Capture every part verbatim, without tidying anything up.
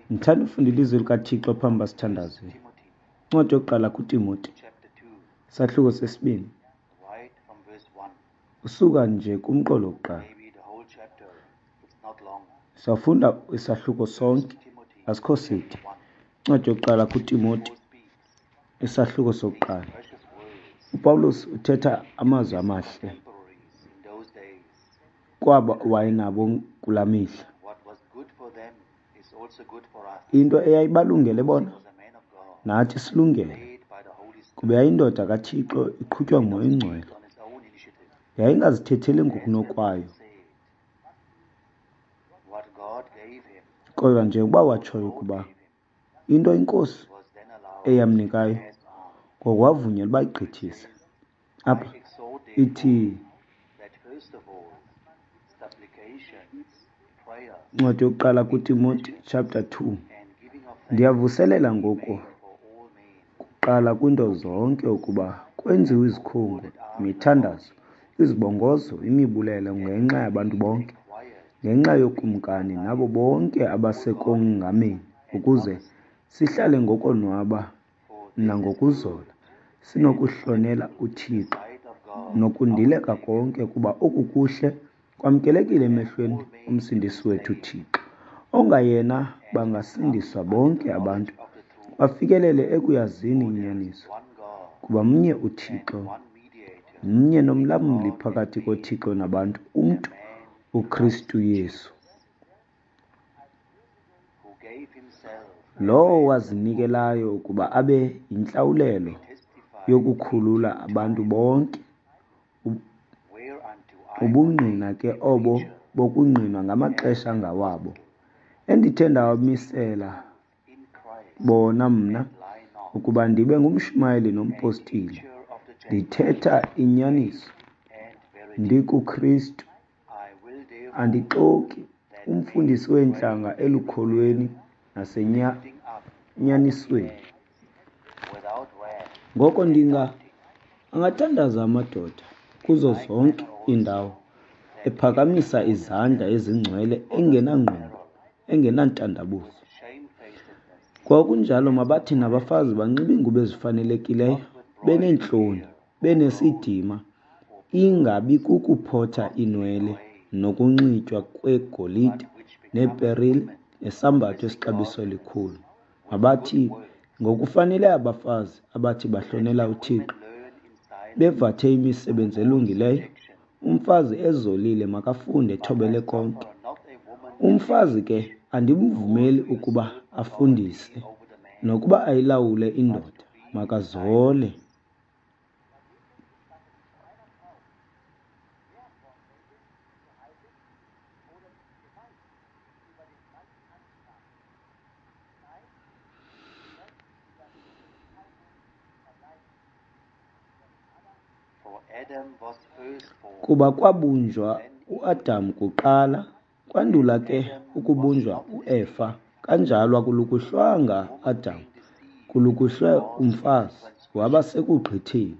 Ndithanda ufunda ilizwi likaThixo phambi uba sithandaze. Incwadi yokuqala kuTimoti, isahluko sesibini, usuka nje kumqolo wokuqala. Sawufunda isahluko sonke, asikho side. Incwadi yokuqala kuTimoti, isahluko sokuqala. UPawulos uthetha amazwi amahle kwaba wayenabo kulaa mihla. Into eyayibalungele bona nathi silungele, kuba yayindoda kaThixo iqhutywa nguMoya oyiNgcwele. Yayingazithetheli ngokunokwayo, kodwa njengokuba watshoyo ukuba into iNkosi eyamnikayo ngoko wavunyelwa uba ayigqithise. Apha ithi incwadi yokuqala kuTimoti chapter two. Ndiyavuselela ngoku kuqala kwinto zonke ukuba kwenziwe izikhungo, imithandazo, izibongozo, imibulelo ngenxa yabantu bonke, ngenxa yokumkani nabo bonke abasekongameni, ukuze sihlale ngokonwaba nangokuzola, sinokuhlonela uThixo nokundileka konke, kuba oku kuhle kwamkelekile emehlweni omsindisi wethu uThixo, ongayena bangasindiswa bonke abantu bafikelele ekuyazini inyaniso. Kuba mnye uThixo, mnye nomlamli phakathi koThixo nabantu, umntu uKristu Yesu, lowo wazinikelayo ukuba abe yintlawulelo yokukhulula abantu bonke. Ubungqina ke obo bokungqinwa ngamaxesha angawabo, endithe ndawamisela bona mna ukuba ndibe ngumshumayeli nompostile, ndithetha inyaniso, ndikuKristu, andixoki, umfundisi weentlanga elukholweni nasenyanyanisweni. Ngoko ndinga angathandaza amadoda kuzo zonke iindawo, ephakamisa izandla ezingcwele engenangqumbo, engenantandabuzo. Ngokunjalo mabathi nabafazi banxibe iingubo ezifanelekileyo, beneentloni, benesidima, ingabi kukuphotha iinwele nokunxitywa kwegolide neeperile nesambatho esixabiso likhulu. Mabathi ngokufanele abafazi abathi bahlonela uThixo, bevathe imisebenzi elungileyo, umfazi ezolile makafunde ethobele konke. Umfazi ke andimvumeli ukuba afundise nokuba ayilawule indoda, makazole. Kuba kwabunjwa uAdam kuqala, kwandula ke ukubunjwa uEfa. Kanjalo akulukuhlwanga Adam, kulukuhlwe umfazi, waba sekugqitheni.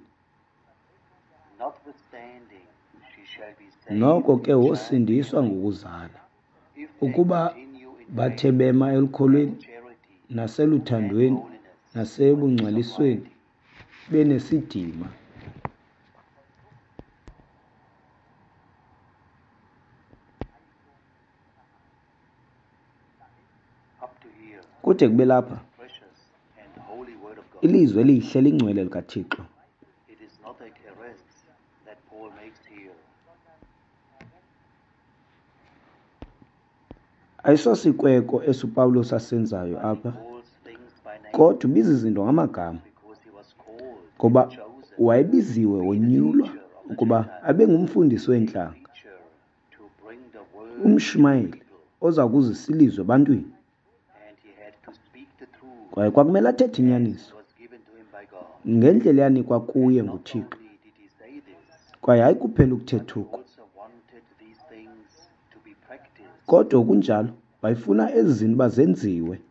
Noko ke wosindiswa ngokuzala, ukuba bathe bema elukholweni naseluthandweni nasebungcwalisweni benesidima. Kude kube lapha, ilizwi elihle elingcwele likaThixo. Ayisosikweko esi uPawulos asenzayo apha, kodwa ubiza izinto ngamagama, ngoba wayebiziwe wonyulwa ukuba abe ngumfundisi weentlanga, umshumayeli oza kuzisa ilizwi ebantwini. Kwaye kwakumele athethe inyaniso ngendlela eyanikwa kuye nguThixo. Kwaye hayi kuphela ukuthetha oku, kodwa okunjalo wayefuna ezi zinto uba zenziwe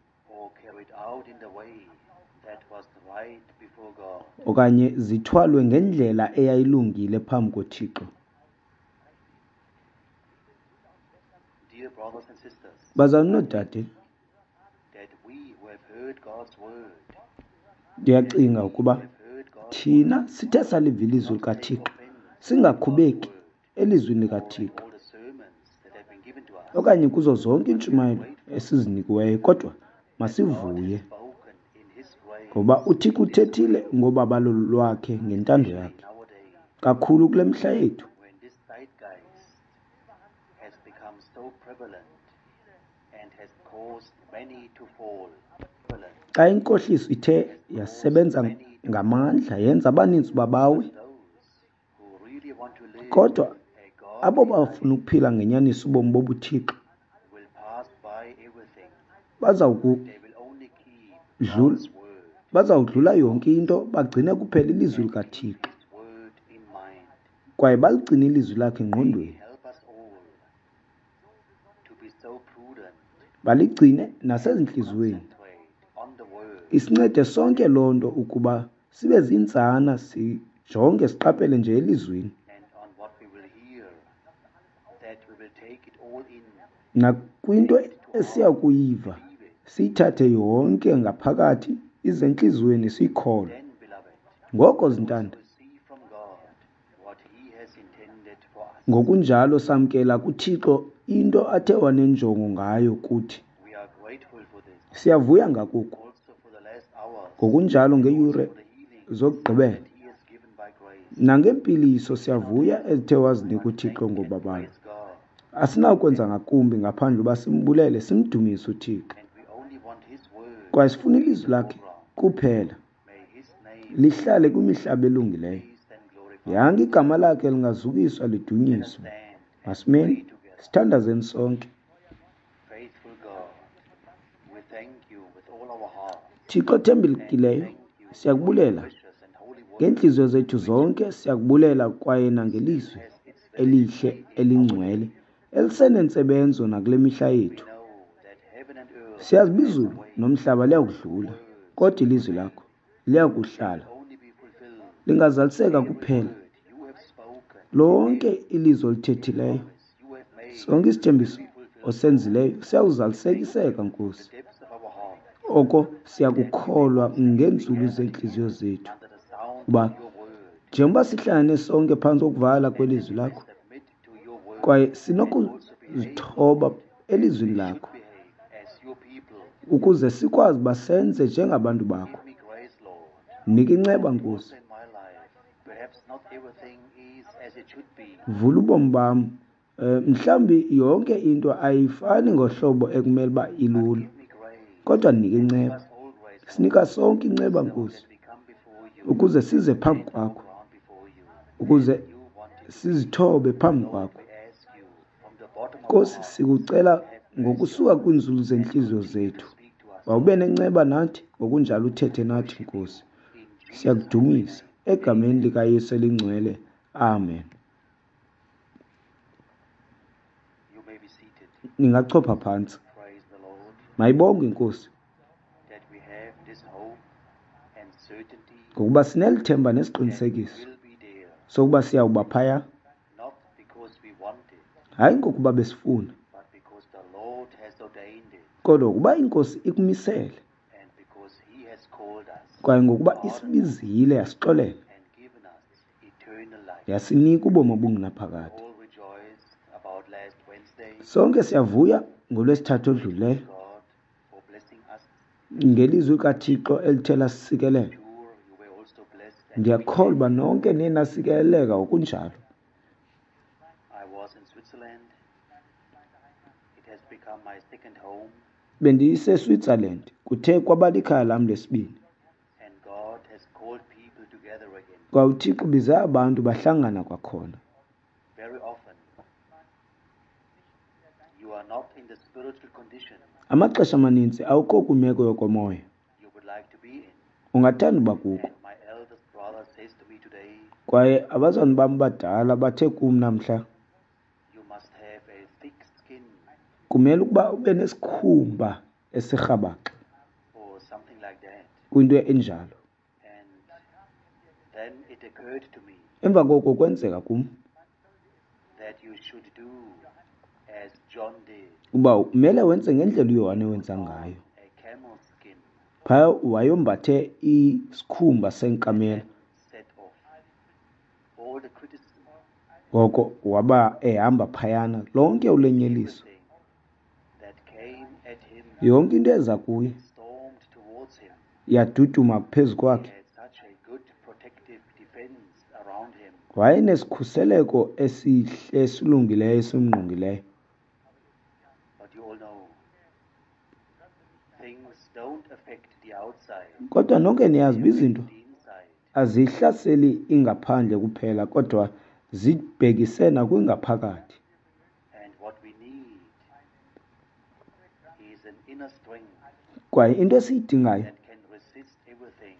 okanye zithwalwe ngendlela eyayilungile phambi koThixo. Bazalwane noodade, ndiyacinga ukuba thina sithe saliva ilizwi likaThixo singakhubeki elizwini likaThixo okanye kuzo zonke iintshumayelo esizinikiweyo, kodwa masivuye ngoba uThixo uthethile ngobabalo lwakhe ngentando yakhe kakhulu kule mihla yethu. Xa inkohliso ithe yasebenza ngamandla yenza abaninzi babawe, kodwa abo bafuna ukuphila ngenyaniso ubomi bobuThixo bazawudlula yonke into, bagcine kuphela ilizwi likaThixo kwaye baligcine ilizwi lakhe engqondweni, baligcine nasezintliziyweni. Isincede sonke loo nto ukuba sibe zintsana, sijonge siqaphele nje elizwini nakwinto esiya kuyiva, siyithathe yonke ngaphakathi ize entliziyweni siyikholwe. Ngoko zintanda, ngokunjalo samkela kuThixo into athe wanenjongo ngayo kuthi. Siyavuya ngakuku. Ngokunjalo ngeeyure zokugqibela nangempiliso siyavuya ezithe wazinika uThixo ngobabalo. Asinakwenza ngakumbi ngaphandle uba simbulele simdumise uThixo, kwaye sifuna ilizwi lakhe kuphela lihlale kwimihlaba elungileyo. Yanga igama lakhe lingazukiswa lidunyiswe. Masimeni sithandazeni sonke. Thixo othembekileyo, siyakubulela ngeentliziyo zethu zonke, siyakubulela kwaye nangelizwi elihle elingcwele elisenentsebenzo nakule mihla yethu. Siyazi uba izulu nomhlaba liyakudlula, kodwa ilizwi lakho liyakuhlala, lingazaliseka kuphela. Lonke ilizwi olithethileyo, sonke isithembiso osenzileyo siyawuzalisekiseka, Nkosi. Oko siyakukholwa ngeenzulu zeentliziyo zethu, uba njengoba sihlangane sonke phantsi kokuvala kwelizwi lakho kwaye sinokuzithoba elizwini lakho ukuze sikwazi uba senze njengabantu bakho. Nika inceba, Nkosi. Vula ubomi bam. Mhlawumbi yonke into ayifani ngohlobo ekumele uba ilula, kodwa nika inceba. Sinika sonke inceba, Nkosi, ukuze size phambi kwakho, ukuze sizithobe phambi kwakho. Nkosi, sikucela ngokusuka kwiinzulu zeentliziyo zethu, wawube nenceba nathi, ngokunjalo uthethe nathi, Nkosi. Siyakudumisa egameni likaYesu elingcwele. Amen. Ningachopha phantsi. Mayibongwe iNkosi, ngokuba sinelithemba nesiqinisekiso sokuba siyawuba phaya, hayi ngokuba besifuna, kodwa ngokuba iNkosi ikumisele kwaye ngokuba isibizile yasixolela yasinika ubomi obungunaphakade. Sonke siyavuya ngolwesithathu odlulileyo ngelizwi likaThixo elithe lasisikelela. Ndiyakholwa uba nonke niye nasikeleleka ngokunjalo. BendiseSwitzerland, kuthe kwaba likhaya lam lesibini. Kwaye uThixo ubize abantu bahlangana kwakhona. Amaxesha amaninzi awukho kwimeko yokomoya ungathanda uba kuko. Kwaye abazalwane bam badala bathe kum namhla, kumele ukuba ube nesikhumba esirhabaxa kwinto enjalo. Emva koko kwenzeka kum Uba kumele wenze ngendlela uYohane wenza ngayo. Phaya wayombathe isikhumba senkamela. Ngoko waba ehamba phayana lonke ulenyeliso. Yonke into eza kuye yaduduma phezu kwakhe. Wayenesikhuseleko esihle esilungileyo esimngqongileyo. Kodwa nonke niyazi uba izinto azihlaseli ingaphandle kuphela, kodwa zibhekise nakwingaphakathi. Kwaye into esiyidingayo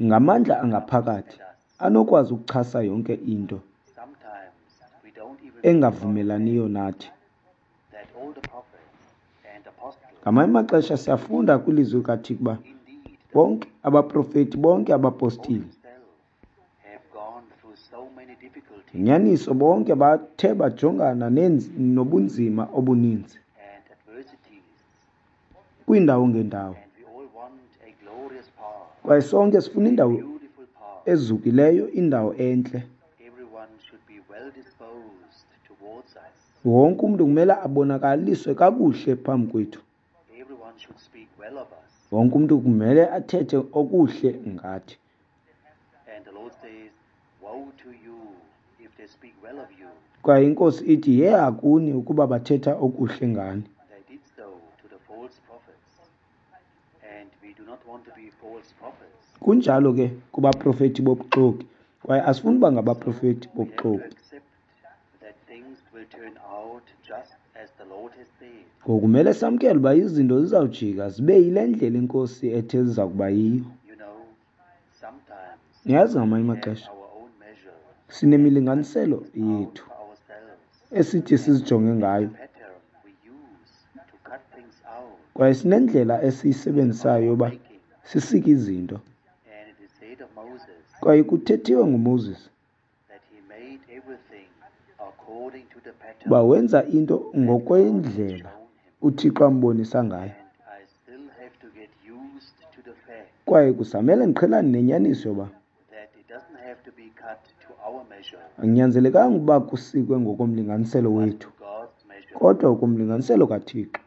ngamandla angaphakathi anokwazi ukuchasa yonke into engavumelaniyo nathi. Ngamanye amaxesha siyafunda kwilizwi likaThixo uba bonke abaprofeti, bonke abapostile, inyaniso bonke bathe bajongana nobunzima obuninzi kwiindawo ngeendawo. Kwaye sonke sifuna indawo ezukileyo, indawo entle. Wonke umntu kumele abonakaliswe kakuhle phambi kwethu. Wonke umntu kumele athethe okuhle ngathi. Kwaye iNkosi ithi, yeha kuni ukuba bathetha okuhle ngani. Kunjalo ke kubaprofeti bobuxoki, kwaye asifuni uba ngabaprofeti bobuxoki. Ngokumele samkele uba izinto zizawujika zibe yile ndlela iNkosi ethe ziza kuba yiyo. Niyazi ngamanye amaxesha sinemilinganiselo yethu esithi sizijonge ngayo, kwaye sinendlela esiyisebenzisayo yoba sisike izinto. Kwaye kuthethiwe nguMoses uba wenza into ngokwendlela uThixo ambonisa ngayo. Kwaye kusamele ndiqhelane nenyaniso yoba akunyanzelekanga uba kusikwe ngokomlinganiselo wethu, kodwa ngokomlinganiselo kaThixo.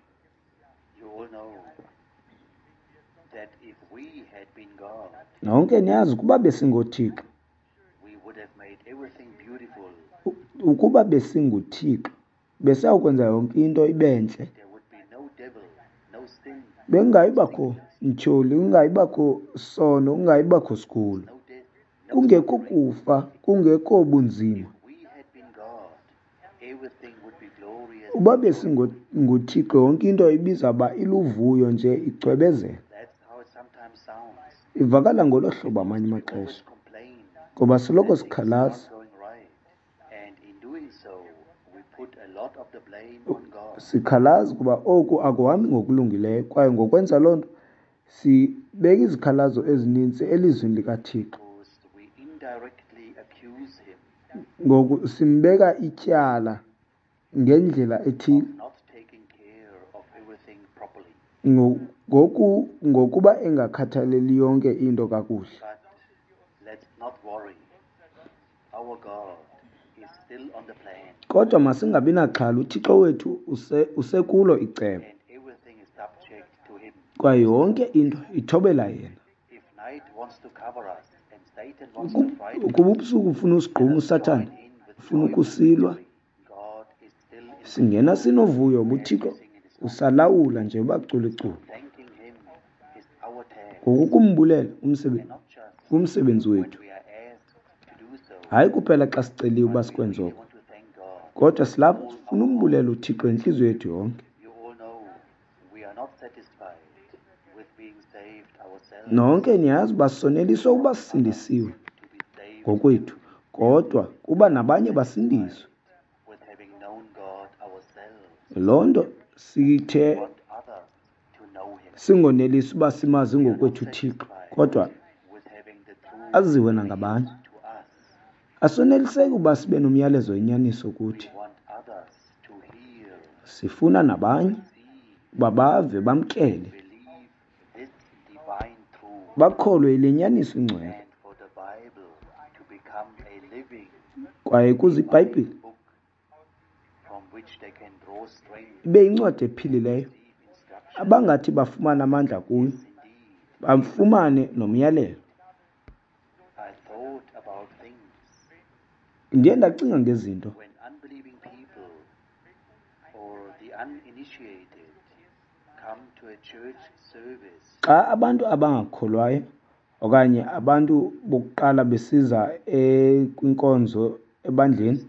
Nonke niyazi ukuba besingoThixo, ukuba besinguThixo besiyawukwenza yonke into ibe ntle. Bekungayibakho mtyholi, kungayibakho sono, kungayibakho sigulo, kungekho kufa, kungekho bunzima. Uba besinguThixo yonke into ibizawuba iluvuyo nje, icwebezela. Ivakala ngolo hlobo amanye amaxesha, ngoba soloko sikhalaza. Sikhalaza kuba oku akuhambi ngokulungileyo, kwaye ngokwenza loo nto sibeka izikhalazo ezininzi elizwini likaThixo. Ngoku simbeka ityala ngendlela ethile ngoku ngokuba engakhathaleli yonke into kakuhle. Kodwa masingabi naxhala, uThixo wethu usekulo icebo, kwaye yonke into ithobela yena. Ukuba ubusuku ufuna usigquma uSathana, ufuna ukusilwa, singena sinovuyo uThixo usalawula nje bacula iculo. Ngoku kumbulela umsebenzi wethu, hayi kuphela xa siceliwe uba sikwenze oko, kodwa silapha sifuna umbulela uThixo ngentliziyo yethu yonke. Nonke niyazi uba soneliswe ukuba sisindisiwe ngokwethu, kodwa kuba nabanye basindiswe. Loo nto sithe singonelisi uba simazi ngokwethu uThixo, kodwa aziwe nangabanye. Asoneliseki uba sibe nomyalezo wenyaniso kuthi. Sifuna nabanye uba bave bamkele, bakholwe yile nyaniso ingcwele, kwaye kuze iBhayibhile ibe yincwadi ephilileyo abangathi bafumane amandla kuyo, bafumane nomyalelo. Ndiye ndacinga ngezinto. Xa abantu abangakholwayo okanye abantu bokuqala besiza kwinkonzo ebandleni,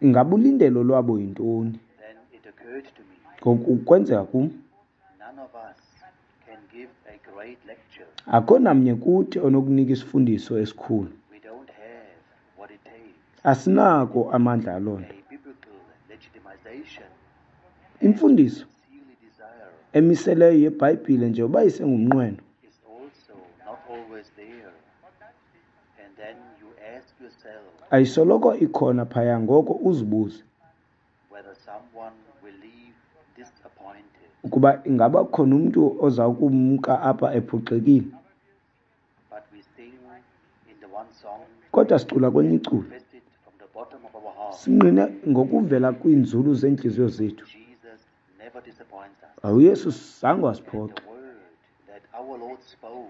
ingaba ulindelo lwabo yintoni? Ngoku kwenzeka kum, akho namnye kuthi onokunika isifundiso esikhulu. Asinako amandla aloo nto. Imfundiso emiseleyo yeBhayibhile njengoba isengumnqweno ayisoloko ikhona phaya, ngoko uzibuze ukuba ingaba khona umntu oza kumka apha ephoxekile. Kodwa sicula kwelinye iculo, singqine ngokuvela kwiinzulu zeentliziyo zethu, uYesu zange wasiphoxa.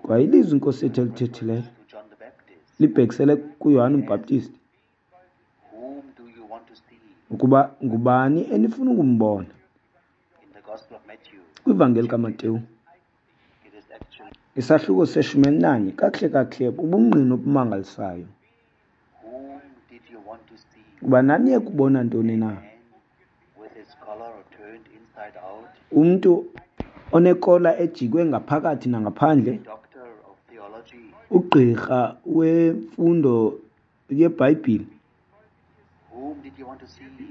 Kwaye ilizwi iNkosi yethu elithethileyo libhekisele kuYohane uMbhaptizi ukuba ngubani enifuna ukumbona. KwiVangeli kaMateyu isahluko seshumi elinanye, kakuhle kakuhle bubungqina obumangalisayo ukuba naniye kubona ntoni na. Umntu onekola ejikwe ngaphakathi nangaphandle, ugqirha wemfundo yeBhayibhile,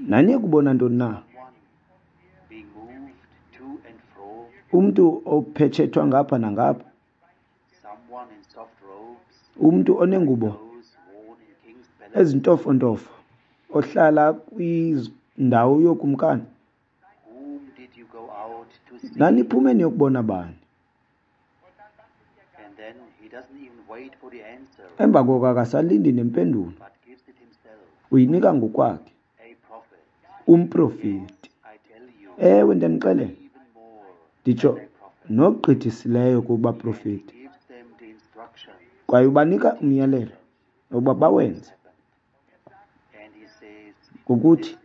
naniye kubona ntoni na? Umntu ophetshethwa ngapha nangapha, umntu onengubo ezintofontofo ohlala kwindawo yokumkani. Naniphume niyokubona bani? Emva koko akasalindi nempendulo, uyinika ngokwakhe. Umprofeti. Ewe, ndiyanixelela, nditsho nogqithisileyo kubaprofeti. Kwaye ubanika umyalelo ukuba bawenze, ngokuthi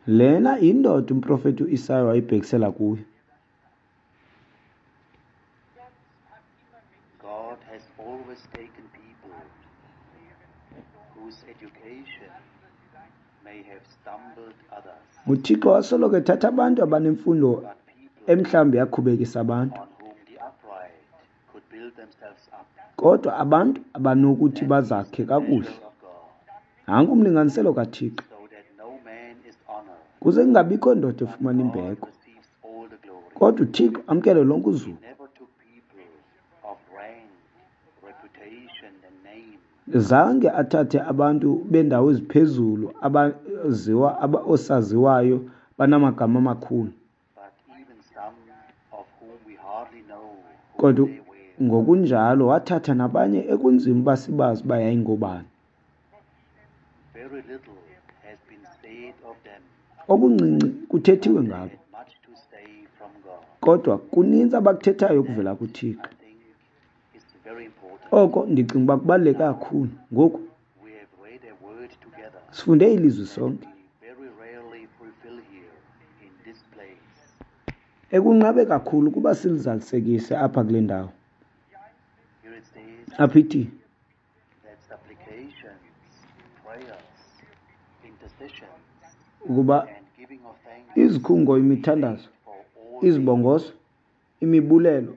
lena yindoda umprofeti uIsaya wayebhekisela kuyo. UThixo wasoloko ethatha abantu abanemfundo emhlawumbi yakhubekisa abantu, kodwa abantu abanokuthi bazakhe kakuhle. Nanku umlinganiselo kaThixo, kuze kungabikho ndoda efumana imbeko, kodwa uThixo amkele lonke uzuko. Zange athathe abantu bendawo eziphezulu abaziwa oosaziwayo banamagama amakhulu, kodwa ngokunjalo wathatha nabanye ekunzima uba sibazi uba yayingobani. Okuncinci kuthethiwe ngabo, kodwa kuninzi abakuthethayo okuvela kuThixo. Oko ndicinga uba kubaluleke kakhulu. Ngoku sifunde ilizwi sonke, ekunqabe kakhulu ukuba silizalisekise apha kule ndawo. Apha ithi ukuba izikhungo, imithandazo, izibongozo, imibulelo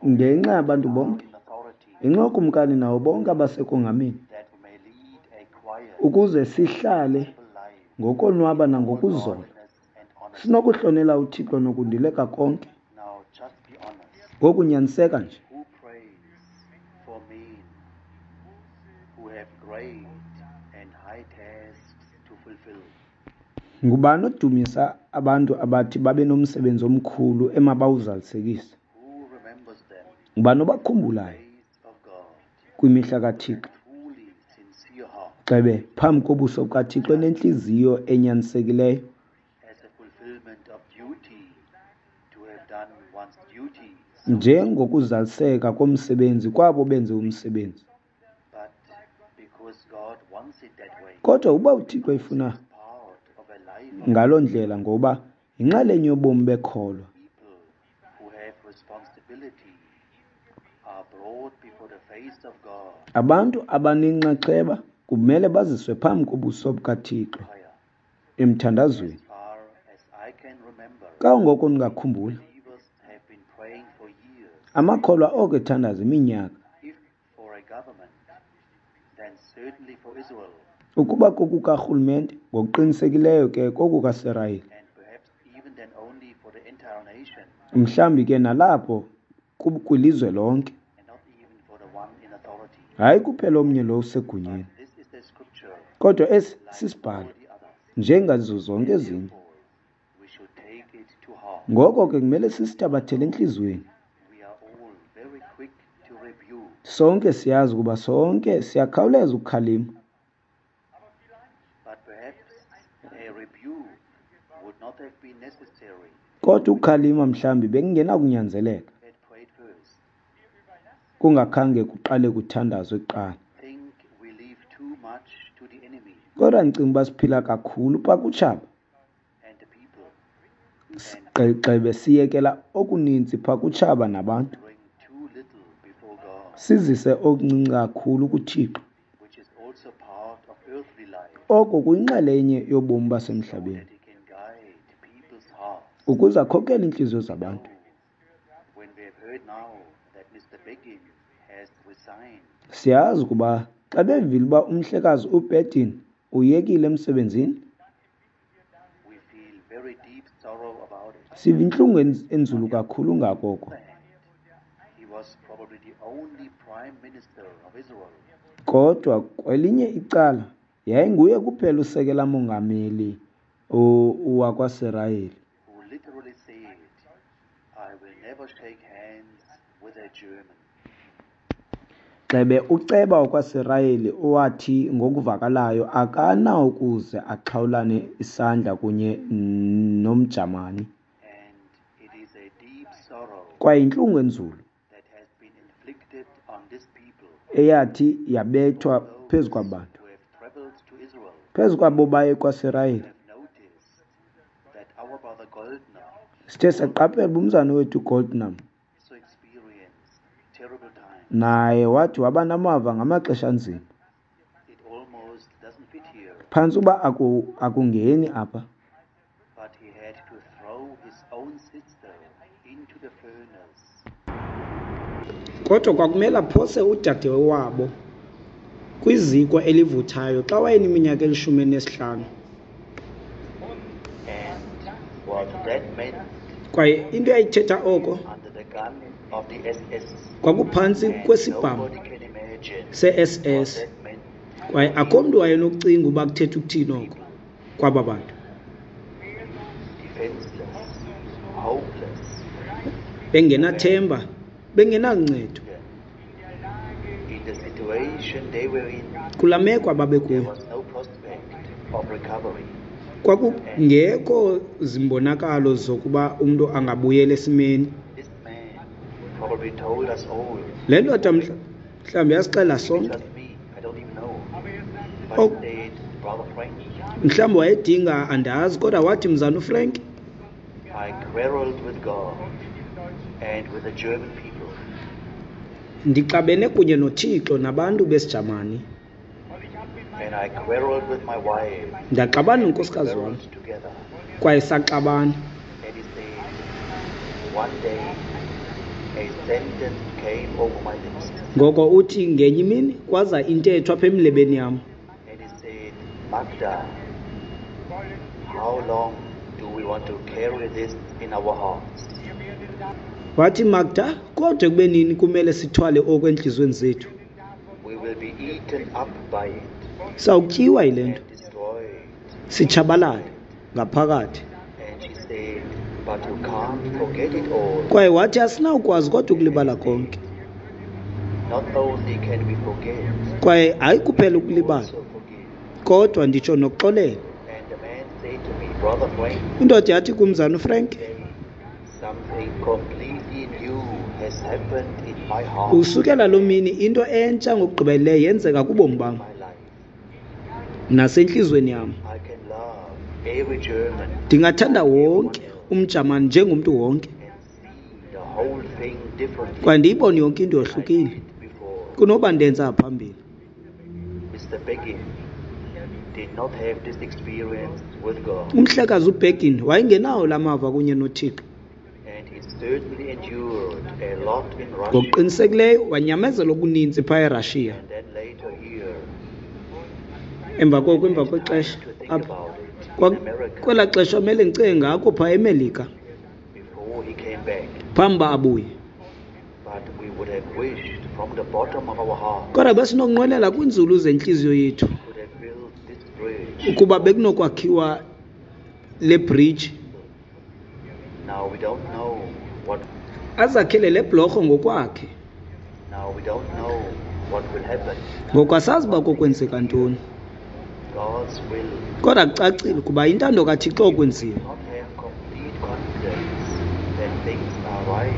ngenxa yabantu bonke, ngenxa yokumkani nawo bonke abasekongameni, ukuze sihlale ngokonwaba nangokuzola, sinokuhlonela uThixo nokundileka konke. Ngoku nyaniseka nje. Ngubani odumisa abantu abathi babe nomsebenzi omkhulu emabawuzalisekise? Ngubani obakhumbulayo kwimihla kaThixo? Gxebe phambi kobuso bukaThixo enentliziyo enyanisekileyo. Njengokuzaliseka komsebenzi kwabo benze umsebenzi. Kodwa uba uThixo efuna ngaloo ndlela, ngoba yinxalenye yobomi bekholwa. Abantu abanenxaxheba kumele baziswe phambi kobuso bukaThixo emthandazweni. Kangoko ndingakhumbula, amakholwa oko ethandaza iminyaka. Ukuba kokukarhulumente, ngokuqinisekileyo ke kokukaSirayeli. Mhlawumbi ke nalapho kwilizwe lonke. Hayi kuphela omnye lo usegunyeni. Kodwa esi sisibhalo, njengazo zonke ezinye. Ngoko ke kumele sisithabathele entliziyweni. Sonke siyazi ukuba sonke siyakhawuleza ukukhalima. Kodwa ukukhalima mhlawumbi bekungenakunyanzeleka kungakhange kuqale kuthandazwe kuqala. Kodwa ndicinga uba siphila kakhulu phaa kutshaba. Gxebe siyekela okuninzi phaa kutshaba nabantu. Sizise okuncinci kakhulu kuThixo. Oko kuyinxalenye yobomi basemhlabeni. Ukuze akhokele iintliziyo zabantu. Siyazi ukuba xa bevile uba umhlekazi uBedin uyekile emsebenzini, siva intlungu enzulu kakhulu ngako oko. Kodwa kwelinye icala yayinguye kuphela usekela mongameli wakwaSirayeli. Gxebe uceba wakwaSirayeli owathi ngokuvakalayo akanawukuze axhawulane isandla kunye nomJamani. Kwaye yintlungu enzulu eyathi yabethwa phezu kwabantu, phezu kwabo baye kwaSirayeli. Sithe saqaphela umzana wethu Goldnam naye wathi waba namava ngamaxesha anzima. Phantsi uba aku, akungeni apha. Kodwa kwakumele aphose udade wabo kwiziko elivuthayo xa wayeneminyaka elishumi elinesihlanu. Kwaye into eyayithetha oko kwakuphantsi kwesibhamu se-S S. Kwaye akho mntu wayenokucinga uba kuthetha ukuthini oko kwaba bantu. Bengenathemba, bengenaluncedo. Kulaa meko ababekuyo, kwakungekho zimbonakalo zokuba umntu angabuyela esimeni. Le ndoda mhlawumbi yasixela sonke. Mhlawumbi wayedinga andazi, kodwa wathi mzana uFrank, I quarreled with God and with the German people. Ndixabene kunye noThixo nabantu besiJamani. And I quarreled with my wife. Ndaxabana nonkosikazi wam. Quarreled together. Kwaye saxabana. And he said, one day a sentence came over my lips. Ngoko uthi ngenye imini kwaza intetho apha emlebeni yam. And he said, Magda, how long do we want to carry this in our hearts? Wathi, Magda, kodwa kube nini kumele sithwale oku entliziyweni zethu? We will be eaten up by it Sawutyiwa yile nto, and destroyed. sitshabalale ngaphakathi. And she said, but you can't forget it all. Kwaye wathi asinawukwazi kodwa ukulibala konke. Not only can we forget, Kwaye hayi kuphela we ukulibala, also forgive. kodwa nditsho nokuxolela. And the man said to me, Brother Frank, Indoda yathi kumzana uFrank, today something completely new has happened in my heart, usukela loo mini into entsha ngokugqibeleleyo yenzeka kubomi bam my life. nasentliziyweni yam. I can love every German Ndingathanda wonke umJamani njengomntu wonke, and see the whole thing differently kwaye ndiyibone yonke into than I yohlukile did before. kunoba ndenza phambili. Mister Begin did not have this experience with God, Umhlekazi uBegin wayengenawo la mava kunye noThixo. and he certainly endured a lot in Russia, Ngokuqinisekileyo wanyamezela okuninzi phaa eRussia. and then later here. Emva koko, emva I had kwexesha time to think apha, about it in kwa- America kwelaa xesha amele ndicinge ngako phaa eMelika before he came back. phambi uba abuye. But we would have wished from the bottom of our heart Kodwa besinokunqwenela kwiinzulu zentliziyo yethu could have built this bridge. ukuba bekunokwakhiwa le bridge, Now we don't know what. azakhele le bhlorho ngokwakhe. Now we don't know what will happen. Ngoku asazi uba kokwenzeka ntoni, God's will kodwa kucacile ukuba intando kaThixo okwenziwa. not have complete confidence that things are right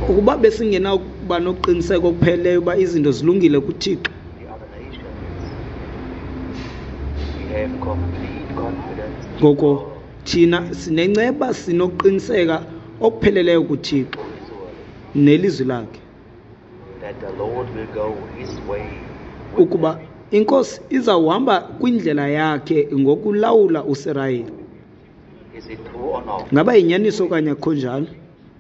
for Ukuba besingenakuba nokuqiniseka okupheleleyo uba izinto zilungile kuThixo, the other nations, we have complete confidence in ngoko God thina sinenceba sinokuqiniseka okupheleleyo kuThixo for Israel, nelizwi lakhe, that the Lord will go his way with ukuba them. iNkosi izawuhamba kwindlela yakhe ngokulawula uSirayeli. Is it true or not? Ngaba yinyaniso okanye akukho njalo?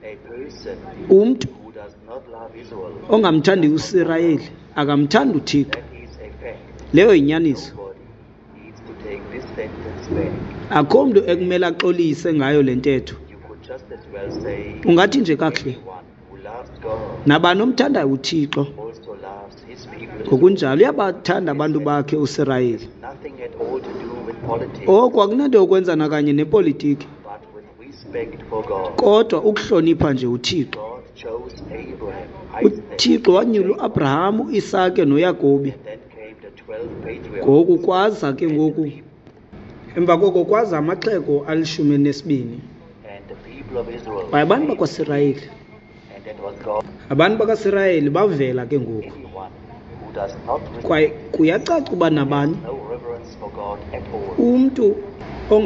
A person Umntu who does not love Israel, ongamthandiyo uSirayeli akamthandi uThixo. that is a fact. Leyo yinyaniso. Nobody needs to take this sentence back. Akho mntu ekumele axolise ngayo le ntetho. You could just as well say Ungathi nje kakuhle, anyone who loves God nabani omthandayo uThixo also loves his people. ngokunjalo uyabathanda abantu bakhe uSirayeli. Nothing at all to do with politics, Oku akunanto yokwenza nakanye nepolitiki, but with respect for God. kodwa ukuhlonipha nje uThixo. God chose Abraham, Isaac, UThixo wanyula uAbraham, uIsake noYakobi. and then came the twelve patriarchs. Ngoku kwaza ke ngoku, emva koko kwaza amaxhego alishumi elinesibini. And the people of Israel. Kwaye abantu bakwaSirayeli, And that was God. abantu bakaSirayeli bavela ke ngoku. Anyone who does not Kwaye respect kuyacaca uba nabani no reverence for God at all. umntu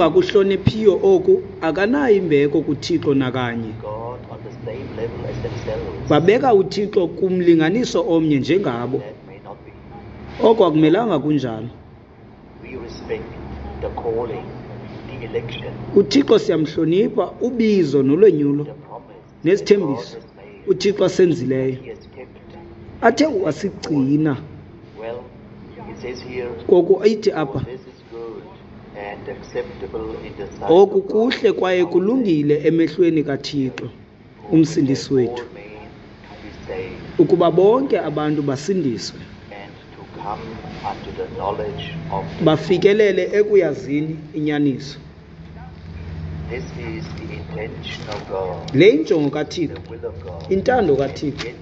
ongakuhloniphiyo oku akanayo imbeko kuThixo nakanye. God on the same level as themselves. Babeka uThixo kumlinganiso omnye njengabo. That may not be. Oko akumelanga kunjalo. We respect the calling, the election, uThixo siyamhlonipha, ubizo nolwenyulo the promise that God nesithembiso has made. uThixo asenzileyo He has kept. athe wasigcina. Well, it says here, Ngoku ithi for apha, this is good and acceptable in the sight oku of God, kuhle kwaye our kulungile emehlweni kaThixo Savior, who will umsindisi have wethu, all men to be saved ukuba bonke abantu basindiswe and to come unto the knowledge of the truth. bafikelele ekuyazini inyaniso. This is the intention of God, Le injongo kaThixo, the will of God. intando And kaThixo. yet,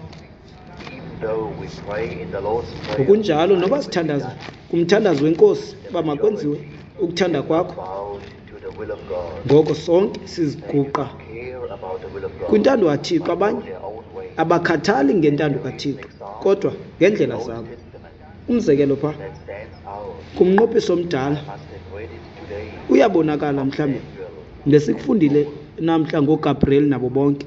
even though we pray in the Lord's Prayer, Ngokunjalo thy noba will be sithandaza done, kumthandazo wenkosi the uba makwenziwe majority ukuthanda is kwakho, bowed to the will of God. ngoko sonke They do siziguqa not care about the will of God, kwintando kaThixo. but go Abanye their own way. abakhathali ngentando There is an kaThixo, example kodwa in the ngeendlela Old zabo. Testament Umzekelo phaa that stands out. kumnqophiso omdala I must have read it today uyabonakala of mhlawumbi Samuel ngesikufundile and Saul. namhla ngoGabriel nabo bonke.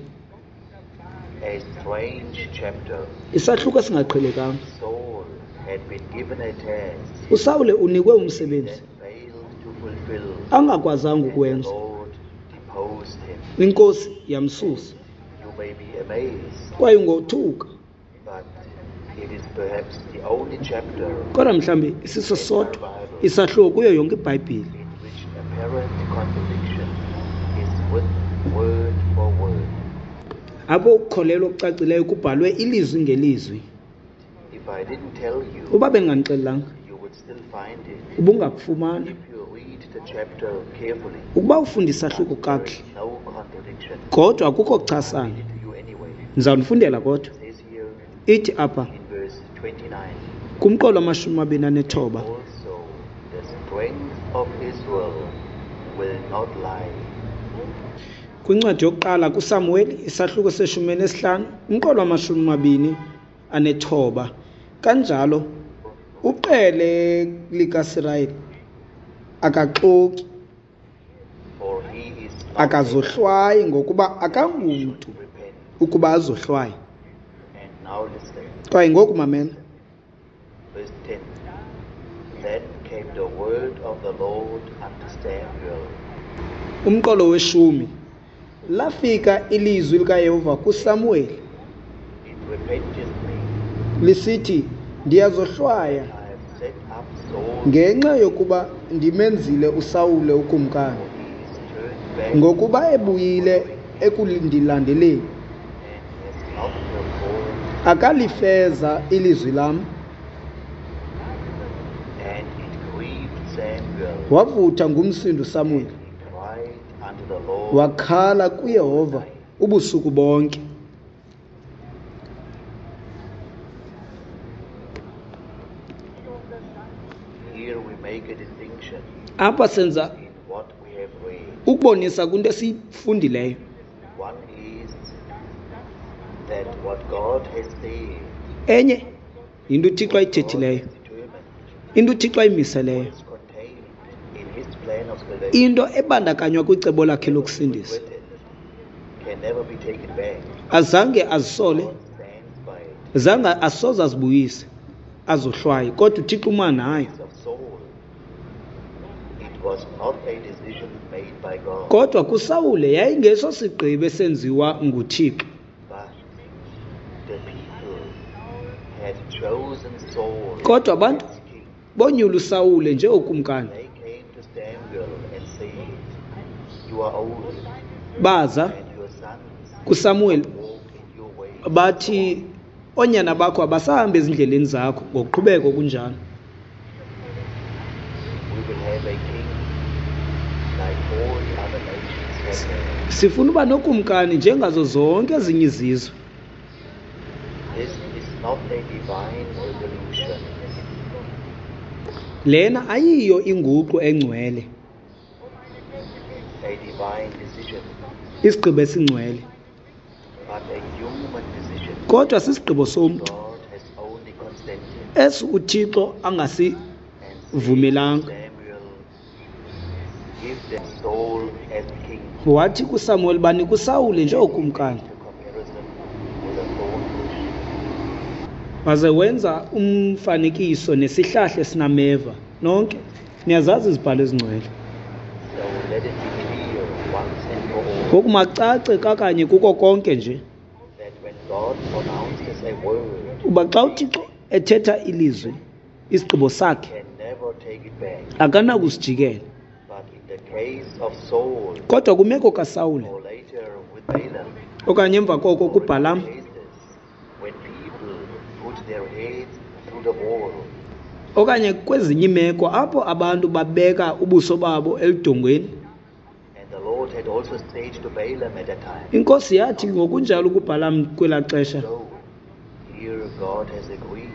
A strange chapter. Isahluko esingaqhelekanga. Saul had been given a task uSawule unikwe umsebenzi that failed to fulfill, angakwazanga and the ukuwenza. Lord deposed him. Inkosi yamsusa. You may be amazed, Kwaye ungothuka, but it is perhaps the only chapter kodwa mhlawumbi isiso in our sodwa Bible isahluko kuyo yonke iBhayibhile in which apparent contradiction is with word for word. apho ukukholelwa okucacileyo kubhalwe ilizwi ngelizwi. If I didn't tell you, Uba bendinganixelelanga, you would still find it. ubungakufumana. If you read the chapter carefully, Ukuba ufunda isahluko there kakuhle, is no contradiction. kodwa akukho kuchasana. Read it to you anyway. Ndizawunifundela kodwa. It says here Ithi apha in verse twenty-nine, kumqolo wamashumi amabini anethoba, also the strength of Israel will not lie. Kwincwadi yokuqala kuSamuweli isahluko seshumi elineshlanu, umqolo wamashumi amabini anethoba. Kanjalo uqele likaSirayeli akaxoki, For he is not akazohlwayi, ngokuba akangumntu able to repent. ukuba azohlwaye. And now listen. Kwaye ngoku mamela. Verse ten. Then came the word of the Lord unto Samuel. Umqolo weshumi. Lafika ilizwi likaYehova kuSamuweli It repenteth me. lisithi, ndiyazohlwaya I have set up Saul, ngenxa yokuba ndimenzile uSawule ukumkani, for he is turned back ngokuba ebuyile ekundilandeleni, and has not performed. akalifeza ilizwi lam. And it grieved Samuel. Wavutha ngumsindo uSamuweli, He cried unto the Lord. wakhala kuYehova ubusuku bonke. Here we make a distinction Apha senza in what we have read. ukubonisa kwinto esiyifundileyo. One is that what God has said, Enye yinto uThixo God ayithethileyo, has determined, into uThixo ayimiseleyo, what is contained in His plan of salvation, into ebandakanywa kwicebo lakhe lokusindisa. written, can never be taken back. Azange azisole, God stands by it. zange asoze azibuyise, azohlwaye, kodwa uThixo uma nayo. Of Saul, it was not a decision made by God, Kodwa kuSawule yayingeso sigqibo esenziwa nguThixo, but the people had chosen Saul kodwa abantu as king. bonyula uSawule njengokumkani. They came to Samuel and said, "You are old, Baza and your sons kuSamuweli walk in your ways." bathi, oonyana bakho abasahambi ezindleleni zakho, ngokuqhubeka kunjalo. We will have a king like all the other nations have had. Sifuna uba nokumkani njengazo zonke ezinye izizwe. This is not a divine revolution. Lena ayiyo inguqu engcwele, a divine decision, isigqibo esingcwele, but a human decision. kodwa sisigqibo somntu God has only consented. esi uThixo angasivumelanga. And Samuel, give them Saul as king. Wathi kuSamuweli, banika uSawule njengokumkani. The comparison with a thorn bush. Waze wenza umfanekiso nesihlahla esinameva. Nonke niyazazi izibhalo ezingcwele. So let it be clear once and for all Ngoku macace kakanye kuko konke nje that when God pronounces a word, uba xa uThixo ethetha ilizwi, isigqibo sakhe can never take it back. akanakusijikela. But in the case of Saul, Kodwa kwimeko kaSawule or later with Balaam, okanye emva koko or in kuBhalam, cases when people put their heads through the wall, okanye kwezinye iimeko apho abantu babeka ubuso babo eludongweni, and the Lord had also said to Balaam at that time, inkosi yathi ngokunjalo kuBhalam kwelaa xesha, "Go, here God has agreed,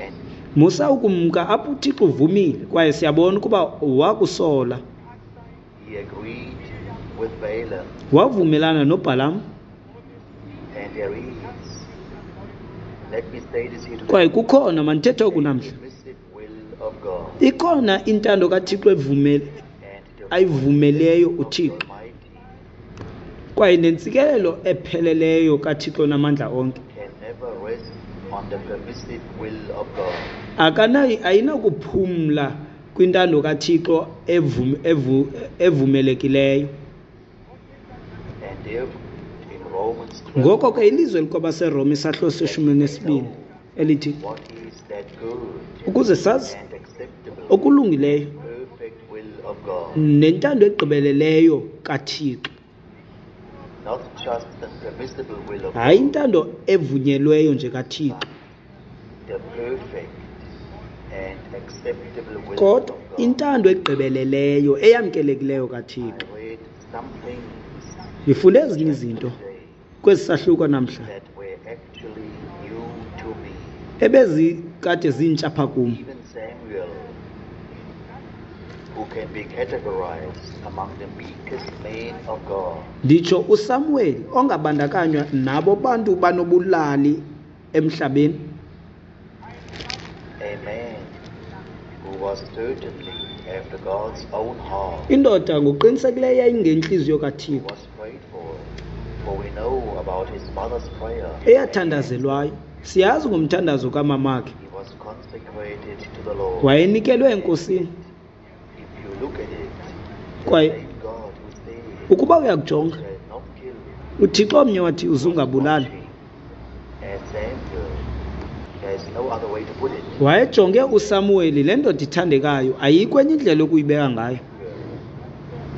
and musa ukumka apho uThixo uvumile, kwaye siyabona ukuba wakusola. he agreed with Balaam." Wavumelana noBhalam. And there is, let me say this here today, Kwaye kukhona, mandithethe oku namhla, the permissive will of God ikhona intando kaThixo evumele and the ayivumeleyo of the uThixo, Almighty kwaye nentsikelelo epheleleyo kaThixo namandla onke can never rest on the permissive will of God. akanayo, ayinakuphumla kwintando kaThixo evum, evu, evumelekileyo. And therefore, in Romans twelve, Ngoko ke ilizwe likwabaseRoma isahluko seshumi nesibini elithi, what is that good ukuze sazi and acceptable, okulungileyo perfect will of God, nentando egqibeleleyo kaThixo, not just the permissible will of hayi God, intando evunyelweyo nje kaThixo, but the perfect and acceptable will Kodwa of God. intando egqibeleleyo eyamkelekileyo kaThixo. I read some things Ndifunde ezinye izinto today kwesi sahluko namhla that were actually new to me. ebezikade zintsha pha kum. Even Samuel, who can be categorized among the meekest men of God, Nditsho uSamuweli ongabandakanywa nabo bantu banobulali emhlabeni, a man who was certainly after God's own heart, indoda ngokuqinisekileyo yayingentliziyo who kaThixo, was prayed for, for we know about his mother's prayer. Eyathandazelwayo. Siyazi ngomthandazo kamamakhe. He was consecrated to the Lord. Wayenikelwe eNkosini. If you look at it, the Kwaye same God who said, ukuba uyakujonga, "Shall not kill," uThixo omnye wathi uzungabulali, watching as Samuel, there's no other way to put it. Wayejonge uSamuweli, le ndoda ithandekayo, ayikho enye indlela yokuyibeka ngayo.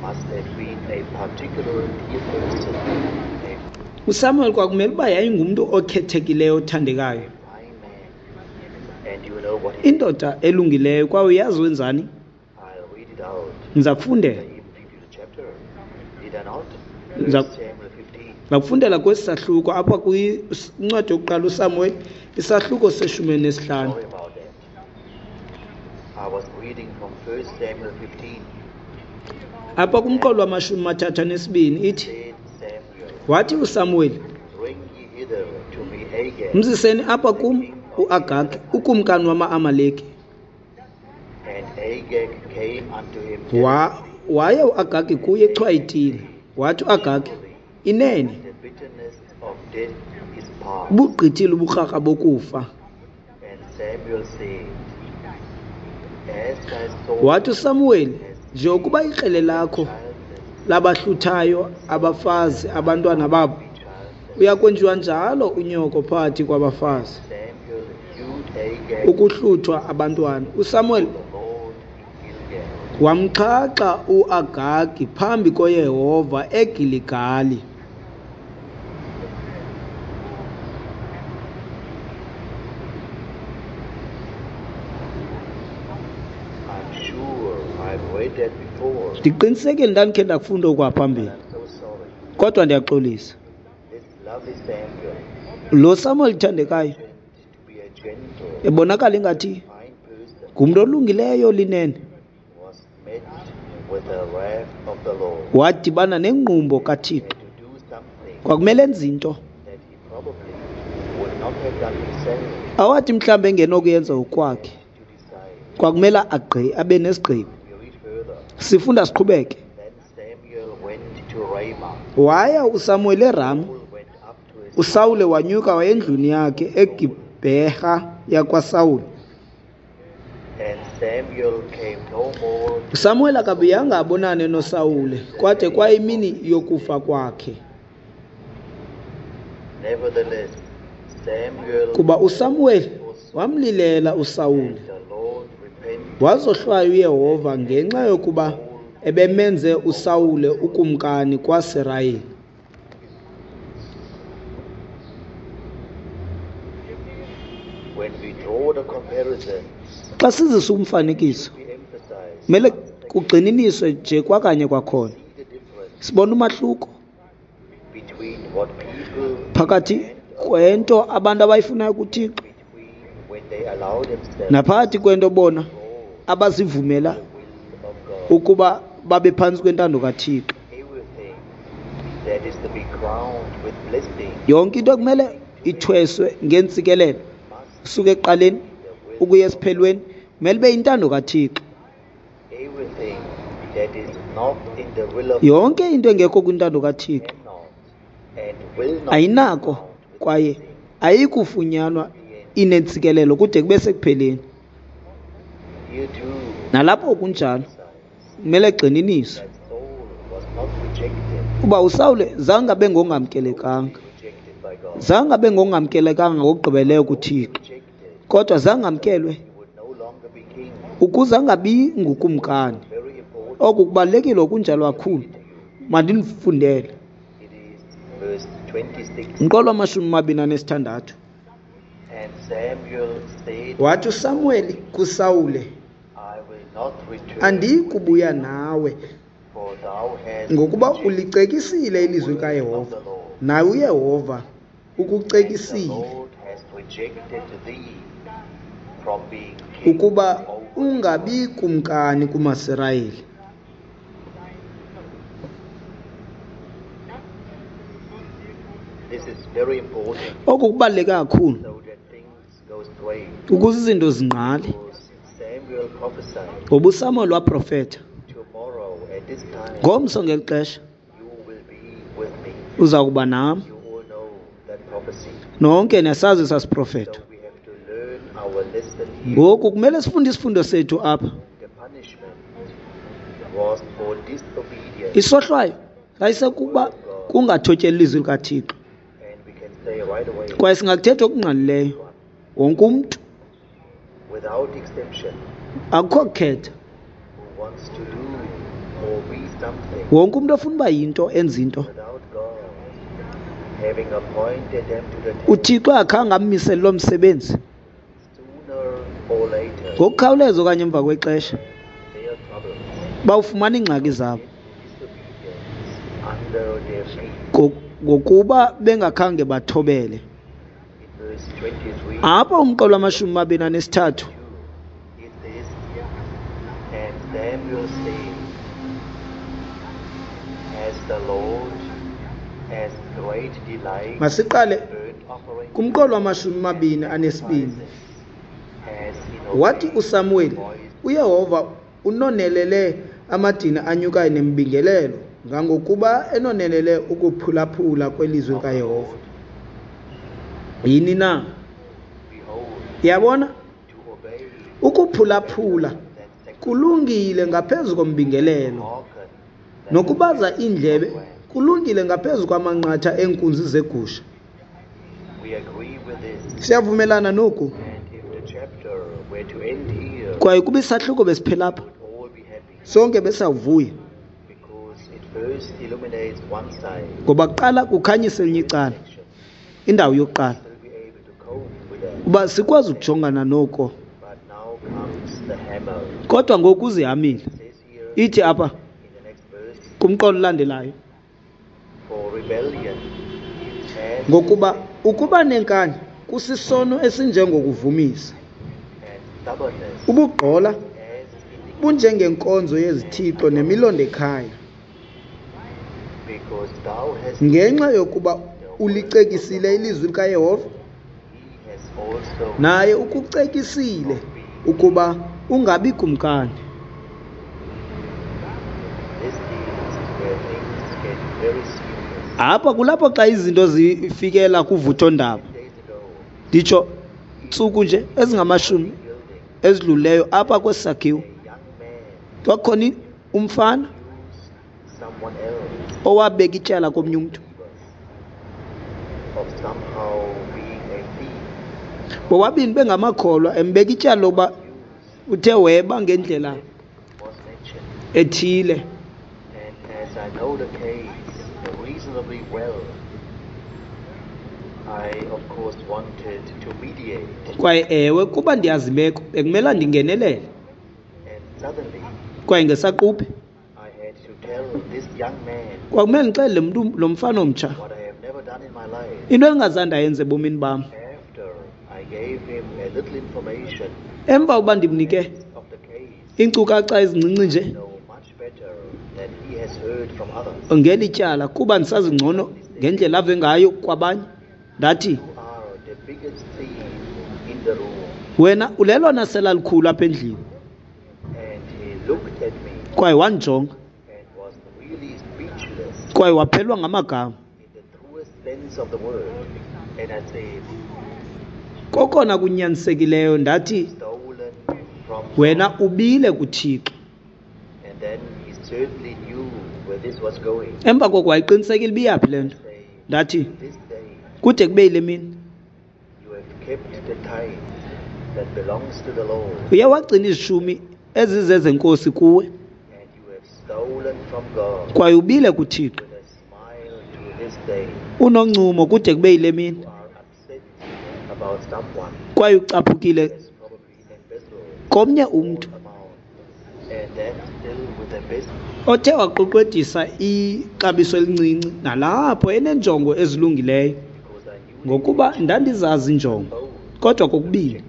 Must have been a particular dear person, a uSamuel kwakumele uba yayingumntu okhethekileyo othandekayo, fine man. And you know what he did? Indoda elungileyo, kwaye uyazi wenzani? I'll read it out. Ndiza I kufundela. even read you the chapter. Did I not? Ndiza First Samuel fifteen. Ndakufundela kwesi sahluko apha kwincwadi yokuqala uSamuel, isahluko seshumi nesihlanu. Sorry about that. I was reading from First Samuel fifteen. Apha kumqolo wamashumi mathathu anesibini ithi, Said Samuel, wathi uSamuweli, "Bring ye hither to me Agag, mziseni apha kum uAgagi, ukumkani wama-Amaleki. And Agag came unto him Wa, waye uAgagi kuye echwayitile. Wathi uAgagi, inene, the bitterness of death is past. Bugqithile ubukrakra bokufa. And Samuel said, As thy soul Wathi uSamuweli, njengokuba ikrele lakho childless, labahluthayo abafazi abantwana babo, be childless. Uyakwenziwa njalo unyoko phakathi kwabafazi. Samuel hewed Agag Ukuhluthwa abantwana. USamuel the Lord in Gilgal. wamxhaxha uAgagi phambi koYehova eGiligali. I'm sure I've read that before, Ndiqinisekile ndandikhe ndakufunda okwaphambili, but I'm so sorry. kodwa ndiyaxolisa. This lovely Samuel Lo Samuel uthandekayo turned to be a gentle, ebonakala ingathi fine person, ngumntu olungileyo linene, was met with the wrath of the Lord. Wadibana nengqumbo kaThixo. Had to do something Kwakumele enze into that he probably would not have done himself, awathi mhlawumbi engenokuyenza ngokwakhe. to decide. Kwakumele agqi abe nesigqibo. We read further. Sifunda siqhubeke. Then Samuel went to Ramah. Waya uSamuel eRama. Saul went up to his uSawule wanyuka waya endlwini yakhe eGibheha yakwaSawule. And Samuel came no more to uSamuel akabuyanga abonane noSawule kwade kwayimini yokufa kwakhe. Nevertheless, Samuel Kuba uSamuel wamlilela uSawule, and the Lord repented wazohlwaya uYehova ngenxa yokuba ebemenze uSawule ukumkani kwaSirayeli. When we draw the comparison, Xa sizisa umfanekiso, we emphasize kumele kugxininiswe nje kwakanye kwakhona. see the difference Sibona umahluko between what people phakathi kwento abantu abayifunayo kuThixo between when they allow themselves naphakathi kwento bona to draw abazivumela the will of God. ukuba babe phantsi kwentando kaThixo. Everything that is to be crowned with blessing Yonke into ekumele ithweswe ngeentsikelelo must usuka ekuqaleni be the will ukuya esiphelweni kumele ibe yintando kaThixo. Everything that is not in the will of Yonke into engekho kwintando kaThixo cannot and will not be ayinako crowned with kwaye blessing. ayikufunyanwa inentsikelelo kude kube sekupheleni. Here too, Nalapho kunjalo emphasize kumele egxininiswe that Saul was not rejected, uba uSawule zange abe ngongamkelekanga, rejected by God. zange abe ngongamkelekanga ngokugqibeleyo kuThixo, Rejected, kodwa zange amkelwe he would no longer be king. ukuze angabi ngukumkani. Very important. Oku kubalulekile okunjalo kakhulu. Mandinifundele. It is verse twenty-six. Umqolo wamashumi amabini anesithandathu. And Samuel said, Wathi uSamuweli kuSawule, I will not return, andiyi kubuya nawe, for thou hast ngokuba rejected ulicekisile ilizwi the word of likaYehova, the Lord, naye uYehova and the ukucekisile Lord has rejected thee from being king ukuba over ungabi Israel. kumkani kumaSirayeli. This is very important Oku kubaluleke kakhulu so that things go straight. ukuze izinto zingqale, Because Samuel prophesied, ngoba uSamuel waprofetha, tomorrow at this time ngomso ngeli xesha you will be with me. uza kuba nam. You all know that prophecy. Nonke niyasazi sasiprofetho. So we have to learn our lesson here. Ngoku kumele sifunde isifundo sethu apha. The punishment was for disobedience, Isohlwayo sayisekuba kungathotyeli ilizwi likaThixo, and we can say right away, kwaye singakuthetha okungqalileyo, wonke umntu, without exception, akukho kukhetha, who wants to do or be something wonke umntu ofuna uba yinto enza into, without God having appointed them to the task, uThixo akhange ammisele loo msebenzi, sooner or later ngokukhawuleza okanye emva kwexesha their troubles bawufumana iingxaki zabo get disobedience under their feet. ngo- ngokuba bengakhange bathobele. In verse twenty-three, Apha umqolo wamashumi amabini anesithathu, it says, And Samuel said, Has the Lord as great delight masiqale in burnt offerings kumqolo wamashumi amabini anesibini. as in Wathi obeying the uSamuweli, voice uYehova unonelele amadini anyukayo nemibingelelo, ngangokuba enonelele ukuphulaphula kwelizwi of the likaYehova. Lord? Yini na? Behold, Yabona, to obey is ukuphulaphula better than sacrifice, kulungile ngaphezu to kombingelelo, hearken than the nokubaza fat iindlebe of rams. kulungile ngaphezu kwamanqatha eenkunzi zegusha. We agree with this, Siyavumelana noku, and if the chapter were to end here, kwaye kuba isahluko besiphela apha, we would all be happy, sonke besawuvuya, because it first illuminates one side, ngoba kuqala kukhanyisa elinye this icala, section, indawo yokuqala, still be able to cope with that. uba sikwazi ukujongana noko. But now comes the hammer. Kodwa ngoku uzihamile. It says here Ithi apha in the next verse, kumqolo olandelayo, for rebellion is as ngokuba ukuba nenkani kusisono esinjengokuvumisa, and stubbornness ubugqola as iniquity, bunjengenkonzo yezithixo nemilondekhaya, because thou hast ngenxa yokuba ulicekisile ilizwi likaYehova, he has also naye ukucekisile ukuba ungabi kumkani. This is where things get very serious. Apha kulapho xa izinto zifikela kuvuthondaba. Ten days ago, Nditsho ntsuku nje ezingamashumi building, ezidlulileyo apha kwesi sakhiwo a young man kwakukhona i- umfana accused someone else owabeka ityala komnye umntu. of somehow being a thief. Bobabini bengamakholwa, embeka ityala lokuba uthe weba ngendlela Was mentioned. ethile. And as I know the case reasonably well, I of course wanted to mediate. Kwaye ewe, kuba ndiyazi imeko, bekumela ndingenelele. And suddenly Kwaye ngesaquphe I had to tell this young man kwakumele ndixelele mntu lo mfana omtsha what I have never done in my life. into endingazange ndayenza ebomini bam. After I gave him a little information Emva uba ndimnike of the case, iinkcukacha ezincinci nje know much better than he has heard from others. ngeli tyala, kuba ndisazi ngcono ngendlela ave ngayo kwabanye, ndathi, You are the biggest thief in the room. wena ulelona sela likhulu apha endlini. And he looked at me Kwaye wandijonga, and was really speechless kwaye waphelwa ngamagama. in the truest sense of the word. And I said, Kokona kunyanisekileyo ndathi, stolen from wena God. ubile kuThixo. And then he certainly knew where this was going. Emva koko wayeqinisekile uba iyaphi le nto. Say, Ndathi, to this day kude kube yile mini you have kept the tithe that belongs to the Lord, uye wagcina izishumi ezizezenkosi kuwe, and you have stolen from God kwaye ubile kuThixo with a smile to this day. unoncumo kude kube yile mini. You are upset Kwaye ucaphukile komnye umntu othe waqweqwedisa ixabiso elincinci, nalapho eneenjongo ezilungileyo, ngokuba ndandizazi iinjongo, kodwa kokubini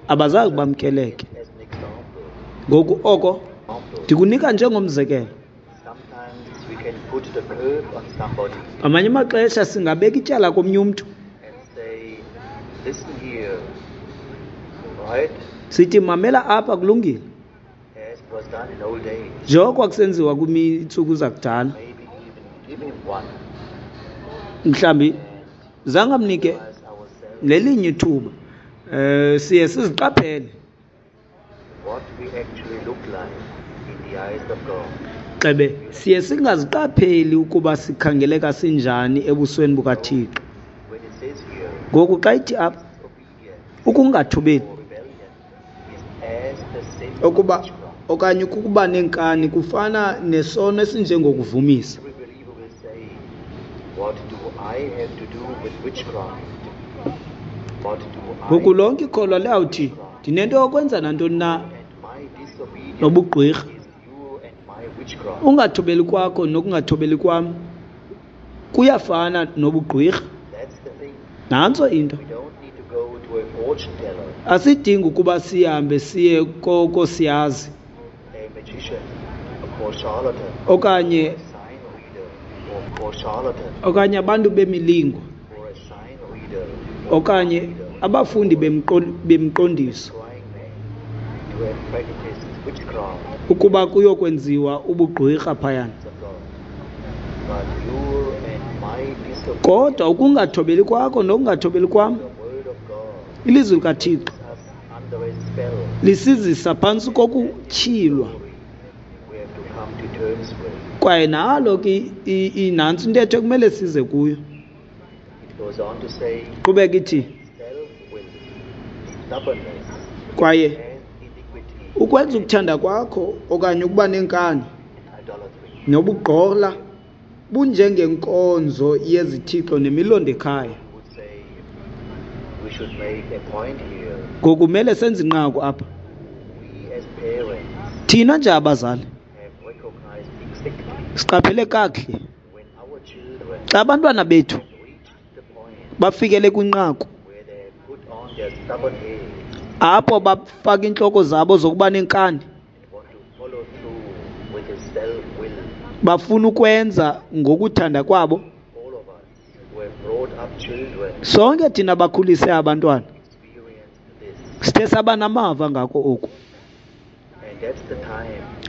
abazange bamkeleke. Ngoku oko ndikunika njengomzekelo. Ngamanye amaxesha singabeka ityala komnye umntu sithi, mamela apha, kulungile, njengoko kwakusenziwa kwiintsuku zakudala. Mhlawumbi zange amnike nelinye ithuba. Um siye siziqaphele gxebe, siye singaziqapheli ukuba sikhangeleka sinjani ebusweni bukaThixo. Ngoku xa ithi apha ukungathobeli okuba okanye ukuba neenkani kufana nesono esinjengokuvumisa. Ngoku lonke ikholwa liyawuthi, ndinento yokwenza nantoni na nobugqwirha? Ungathobeli kwakho nokungathobeli kwam kuyafana nobugqwirha. Nantso into. Asidingi ukuba sihambe siye kosiyazi okanye okanye abantu bemilingo okanye abafundi bemiqondiso ukuba kuyokwenziwa ubugqwirha phayana. Kodwa ukungathobeli kwakho nokungathobeli kwam ilizwi likaThixo lisizisa phantsi kokutyhilwa. Kwaye nalo ke nantso intetho ekumele size kuyo. Qhubeka ithi, kwaye ukwenza ukuthanda kwakho okanye ukuba neenkani nobugqola bunjengenkonzo yezithixo nemilondo ekhaya. Ngoku kumele senze inqaku apha. Thina nje abazali siqaphele kakuhle xa abantwana bethu bafikele kwinqaku apho bafaka iintloko zabo zokuba neenkani, bafuna ukwenza ngokuthanda kwabo. Sonke thina bakhulise abantwana sithe saba namava ngako oku.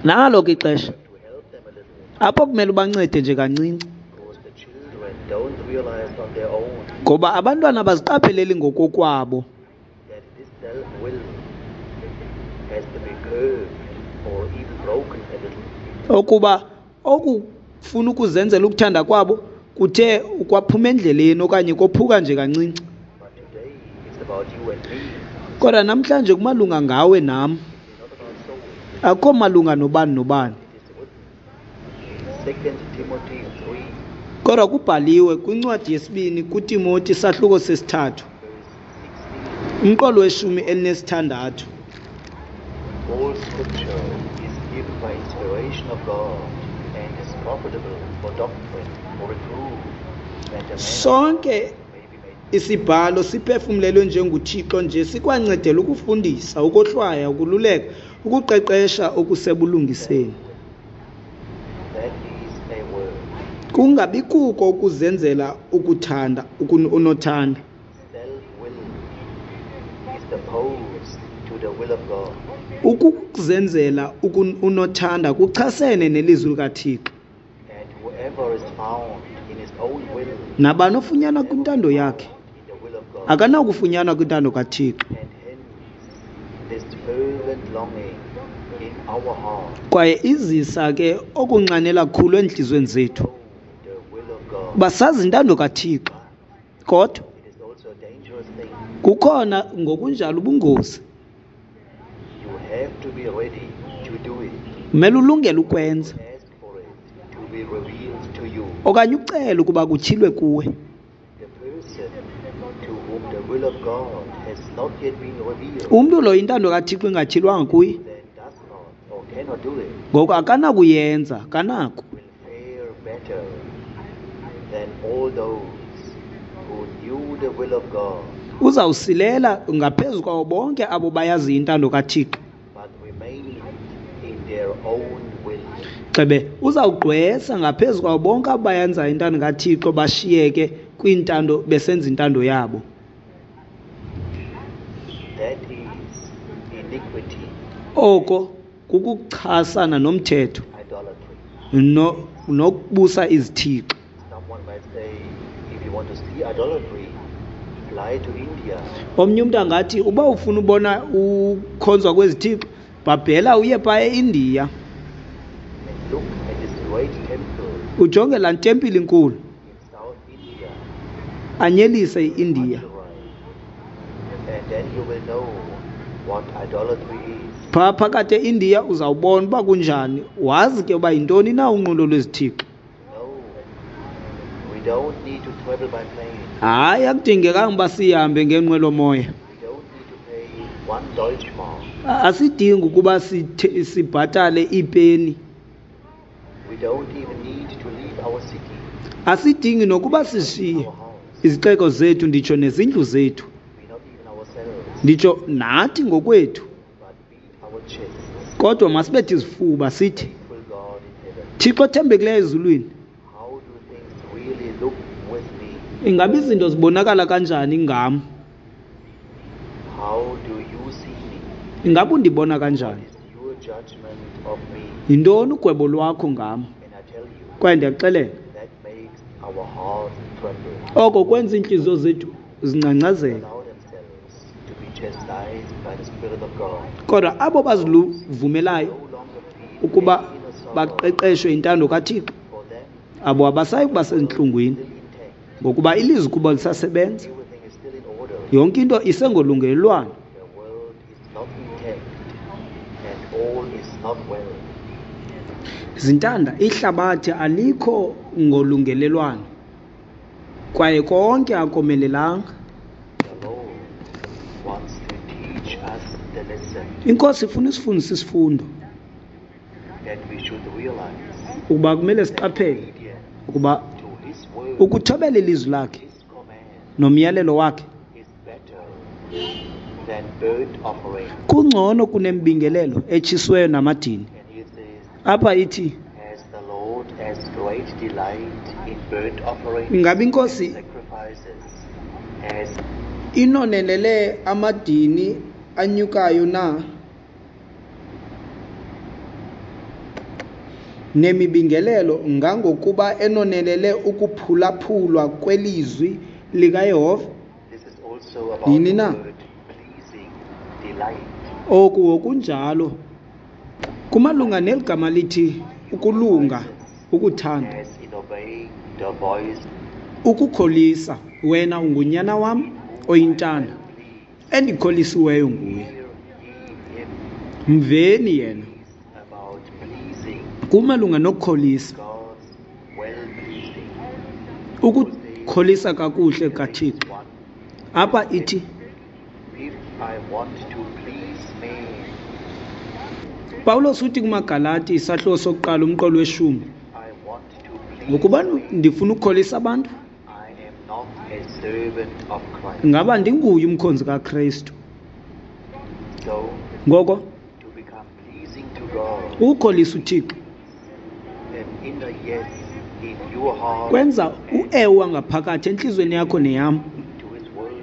Nalo ke ixesha apho kumele ubancede nje kancinci, ngoba abantwana abaziqapheleli ngokokwabo okuba okufuna ukuzenzela ukuthanda kwabo kuthe ukwaphuma endleleni okanye kophuka nje kancinci. Kodwa namhlanje kumalunga ngawe nam, akukho malunga nobani nobani. Kodwa kubhaliwe kwincwadi yesibini kuTimoti isahluko sesithathu, umqolo weshumi elinesithandathu. All scripture is given by inspiration of God and is profitable for doctrine, for reproof, that a man Sonke may be made isibhalo siphefumlelwe njenguThixo nje sikwancedela ukufundisa, ukohlwaya, ukululeka, ukuqeqesha okusebulungiseni. That is a word. Kungabi kuko ukuzenzela ukuthanda unothanda. Self-will is opposed to the will of God. Ukuzenzela unothanda kuchasene nelizwi likaThixo. And whoever is found in his own will Nabani ofunyanwa kwintando yakhe in the will of God. akanakufunyanwa kwintando kaThixo. And hence this fervent longing in our heart, Kwaye izisa ke okunxanela kakhulu eentliziyweni zethu the will of God. uba sazi intando kaThixo. Kodwa It is also a dangerous thing. kukhona ngokunjalo ubungozi. You have to be ready to do it. Kumele ulungele ukwenza Ask for it to be revealed to you. okanye ucele ukuba kutyhilwe kuwe. The person to whom the will of God has not yet been revealed, Umntu lo intando kaThixo ingatyhilwanga kuye, then does not or cannot do it, ngoku akanakuyenza, akanako. will fare better than all those who knew the will of God Uzawusilela ngaphezu kwabo bonke abo bayaziyo intando kaThixo. but remained in their own will. Xebe uzawugqwesa ngaphezu kwabo bonke abo bayenzayo intando kaThixo bashiyeke kwintando besenza intando yabo. That is iniquity, Oko kukuchasana nomthetho idolatry. no nokubusa izithixo. Someone might say, if you want to see idolatry, fly to India. Omnye umntu angathi uba ufuna ubona ukhonzwa kwezithixo, bhabhela uye phaa eIndiya, and look at this great temple ujonge laa tempile inkulu, in South India, anyelise iIndiya. Madurai, and then you will know what idolatry is. Phaa phakathi eIndiya uzawubona uba kunjani, wazi ke uba yintoni na unqulo lwezithixo. No, we don't need to travel by plane. Hayi, akudingekanga uba sihambe ngenqwelomoya. We don't need to pay one Deutschmark. A- Asidingi ukuba sithe- sibhatale iipeni. We don't even need to leave our city, Asidingi nokuba sishiye our house, izixeko zethu, nditsho nezindlu zethu, we not even ourselves, nditsho nathi ngokwethu. but beat our chests. Kodwa masibethe izifuba sithi, Faithful God in heaven, Thixo othembekileyo ezulwini, how do things really look with me? ingaba izinto zibonakala kanjani ngam? How do you see me? Ingaba undibona What kanjani? is your judgment of me? Yintoni ugwebo lwakho ngam? And I tell you, Kwaye ndiyakuxelela, that makes our hearts tremble. oko kwenza iintliziyo zethu zingcangcazele. Allow themselves to be chastised by the Spirit of God. Kodwa abo baziluvumelayo No longer feel ukuba any inner sorrow. baqeqeshwe intando kaThixo, For them, abo abasayi kuba sezintlungwini, still intact. ngokuba ilizwi kubo lisasebenza. Everything is still in order. Yonke into isengolungelelwano. The world is not intact, and all is not well. Zintanda, ihlabathi alikho ngolungelelwano, kwaye konke akomelelanga. The Lord wants to teach us the lesson Inkosi ifuna isifundise isifundo that we should realize ukuba kumele that siqaphele obedience ukuba to His word, ukuthobela ilizwi lakhe His command, nomyalelo wakhe is better than burnt offering. kungcono kunembingelelo etshisiweyo namadini. And he says, Apha ithi As the Lord has great delight in burnt offerings Ingabe inkosi and sacrifices, as inonelele amadini anyukayo na nemibingelelo ngangokuba enonelele ukuphulaphulwa kwelizwi likaYehova? this is also about Yini the na? word pleasing, delight. Oku ngokunjalo kumalunga neli gama lithi ukulunga, ukuthanda, As in obeying the voice ukukholisa. Wena ungunyana wam oyintanda, please endikholisiweyo nguye. hear ye him Mveni yena. is about pleasing Kumalunga nokukholisa, God's well pleasing. ukukholisa kakuhle kaThixo. One, Apha ithi if I want to please man, Pawulos uthi kumaGalati isahluko sokuqala umqolo weshumi, I want to please ngokuba man, ndifuna ukukholisa abantu, I am not a servant of Christ. ngaba ndinguye umkhonzi kaKristu. So Ngoko to become pleasing to God, ukukholisa uThixo an inner yes in your heart kwenza uewa ngaphakathi entliziyweni yakho neyam, to His word,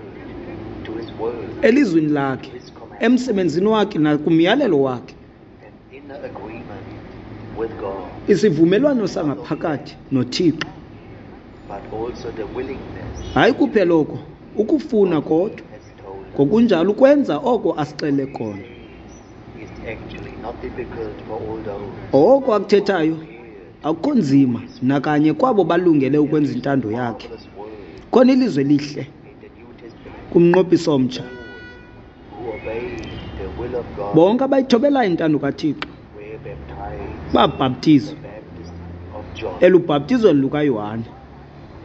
to His word, elizwini lakhe, to His command, emsebenzini wakhe nakumyalelo wakhe. an inner agreement with God, Isivumelwano sangaphakathi noThixo. but also the willingness Hayi kuphela oko, ukufuna kodwa has told us ngokunjalo ukwenza oko asixele kona. is actually not difficult for all those Oko akuthethayo prepared akukho nzima nakanye kwabo balungele ukwenza intando yakhe. marvelous word Khona ilizwe elihle in the New Testament. kumnqophiso omtsha. All who obeyed the will of God Bonke abayithobelayo intando kaThixo were baptized babhaptizwa the baptism of John. elubhaptizweni lukaYohane.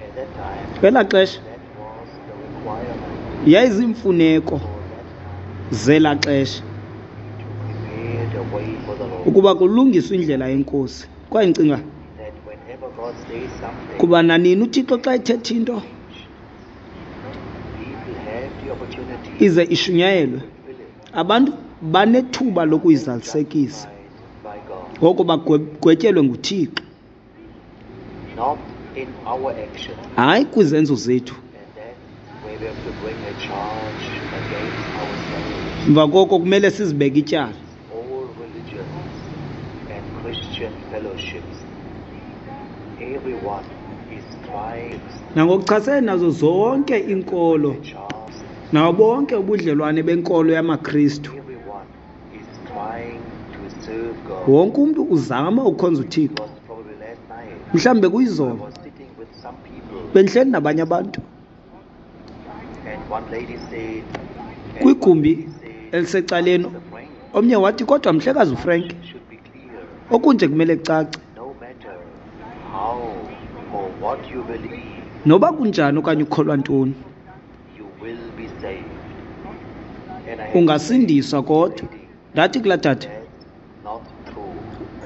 At that time, Kwelaa xesha that was the requirement Yayiziimfuneko for that time zelaa xesha to prepare the way for the Lord. ukuba kulungiswe indlela yenkosi. Kwaye ndicinga That whenever God says something, kuba nanini uThixo xa ethetha into people have the opportunity ize ishunyayelwe, to fulfill it. abantu banethuba lokuyizalisekisa. Justified by God, Ngoko bagwetyelwe nguThixo, not in our actions. hayi kwizenzo zethu. And that's where we have to bring a charge against ourselves. Emva koko kumele sizibeke ityala. All religions and Christian fellowships, everyone is trying Nangokuchasene nazo zonke iinkolo to charge. nabo bonke ubudlelwane benkolo yamaKristu, Everyone is trying to serve God. wonke umntu uzama ukukhonza It uThixo. was probably last night. Mhlawumbe I kuyizolo was sitting with some people, bendihleli nabanye abantu and one lady said, and one kwigumbi lady said, elisecaleni. Pastor Frank Omnye wathi, kodwa mhlekazi uFrank, should be clear. okunje kumele kucace, No matter how or what you believe, noba kunjani okanye ukholwa ntoni, you will be saved. And I had to say, ungasindiswa. Kodwa ndathi kulaa tata, that's not true.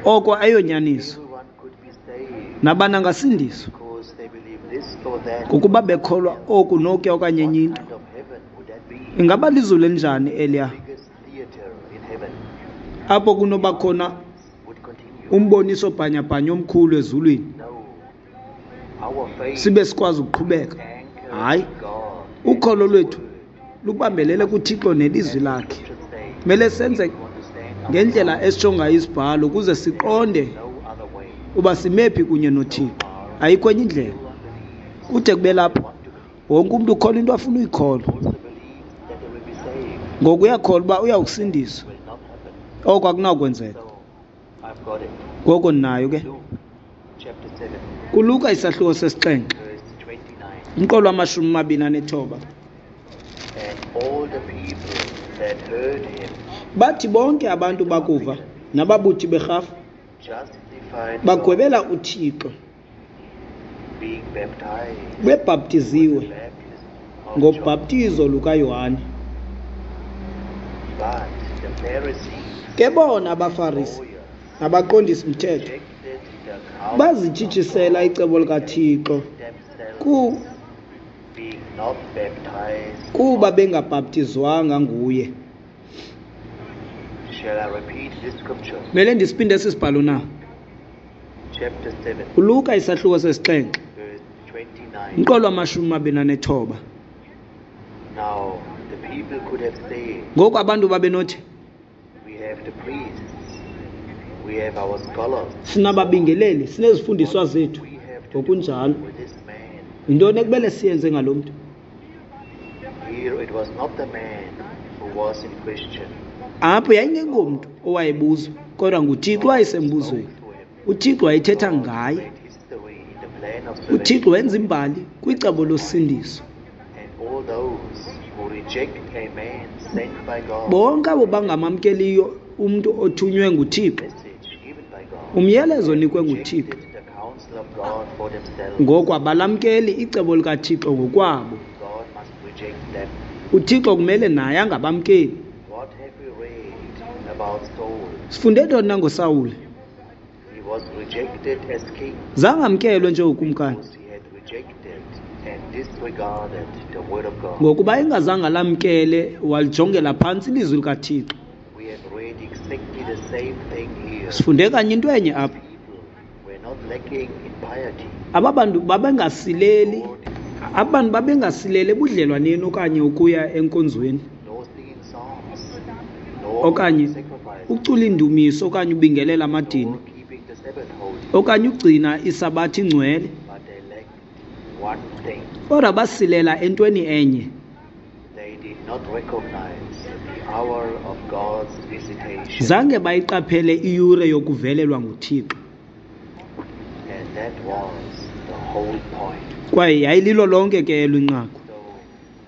oko ayonyaniso. Everyone could be saved Nabani angasindiswa because they believe this or that. ngokuba bekholwa oku nokuya okanye enye What into. kind of heaven would that be? Ingaba lizulu elinjani eliya Biggest theater in heaven apho kunoba khona would continue. umboniso bhanyabhanya omkhulu ezulwini, No. Our faith sibe sikwazi ukuqhubeka? anchors Hayi, in God and ukholo His lwethu word. lubambelele kuThixo nelizwi And the lakhe. scriptures say, Kumele senze if you understand our ngendlela heart, esitsho ngayo isibhalo ukuze siqonde no other way. uba simephi kunye noThixo. Ayikho enye indlela. Everyone believes Kude kube lapho, they want to believe. wonke umntu ukholwa into afuna uyikholwa. Also believes that they will be saved. Ngoku uyakholwa uba uyawukusindiswa. Will not happen. Oko akunawukwenzeka. So I've got it. Ngoko ndinayo ke. Luke chapter seven, KuLuka isahluko sesixhenxe, verse twenty-nine. umqolo wamashumi amabini anethoba. And all the people that heard him Bathi bonke abantu bakuva nababuthi berhafu justified God, bagwebela uThixo being baptized bebhaptiziwe with the baptism of John. ngobhaptizo lukaYohane. But the Pharisees Ke bona abaFarisi lawyers nabaqondisi mthetho rejected the counsel of bazitshitshisela God icebo likaThixo themselves, ku being not baptized. kuba bengabhaptizwanga nguye. Shall I repeat this scripture? Mele ndisiphinde esi sibhalo na? Chapter seven, KuLuka isahluko sesixhenxe, verse twenty-nine. umqolo wamashumi amabini anethoba. Now, the people could have said, Ngoku abantu babenothi, we have the priests, we have our scholars. sinababingeleli, sinezifundiswa What do zethu. we have to do Ngokunjalo, with this man? yintoni ekumele siyenze ngalo mntu? Here it was not the man who was in question. Apho yayingengomntu owayebuzwa, kodwa nguThixo owayesembuzweni. Spoke to him. uThixo wayethetha God ngaye. made history in the plan of uThixo salvation. wenza imbali kwicebo losindiso. And all those who reject a man sent by God, Bonke abo bangamamkeliyo umntu othunywe nguThixo, message given by God, umyalezo onikwe nguThixo, rejected the counsel of God for themselves. ngoku abalamkeli icebo likaThixo ngokwabo. God must reject them. uThixo kumele naye angabamkeli. What have we read about Saul? Sifunde ntoni na ngoSawule? He was rejected as king Zange amkelwe njengokumkani because he had rejected and disregarded the word of God. ngokuba engazange alamkele walijongela phantsi ilizwi likaThixo. We have read exactly the same thing here. Sifunde kanye into enye apha. People were not lacking in piety. Aba bantu babengasileli, nor, aba bantu babengasileli ebudlelwaneni okanye ukuya enkonzweni nor singing songs, nor okanye sacrifice, ucula iindumiso okanye ubingelela amadini nor keeping the Sabbath holy. okanye ugcina isabathi ingcwele, But they lacked one thing. kodwa basilela entweni enye. They did not recognize the hour of God's visitation. Zange bayiqaphele iyure yokuvelelwa nguThixo, And that was the whole point. kwaye yayililo lonke ke elo inqaku. So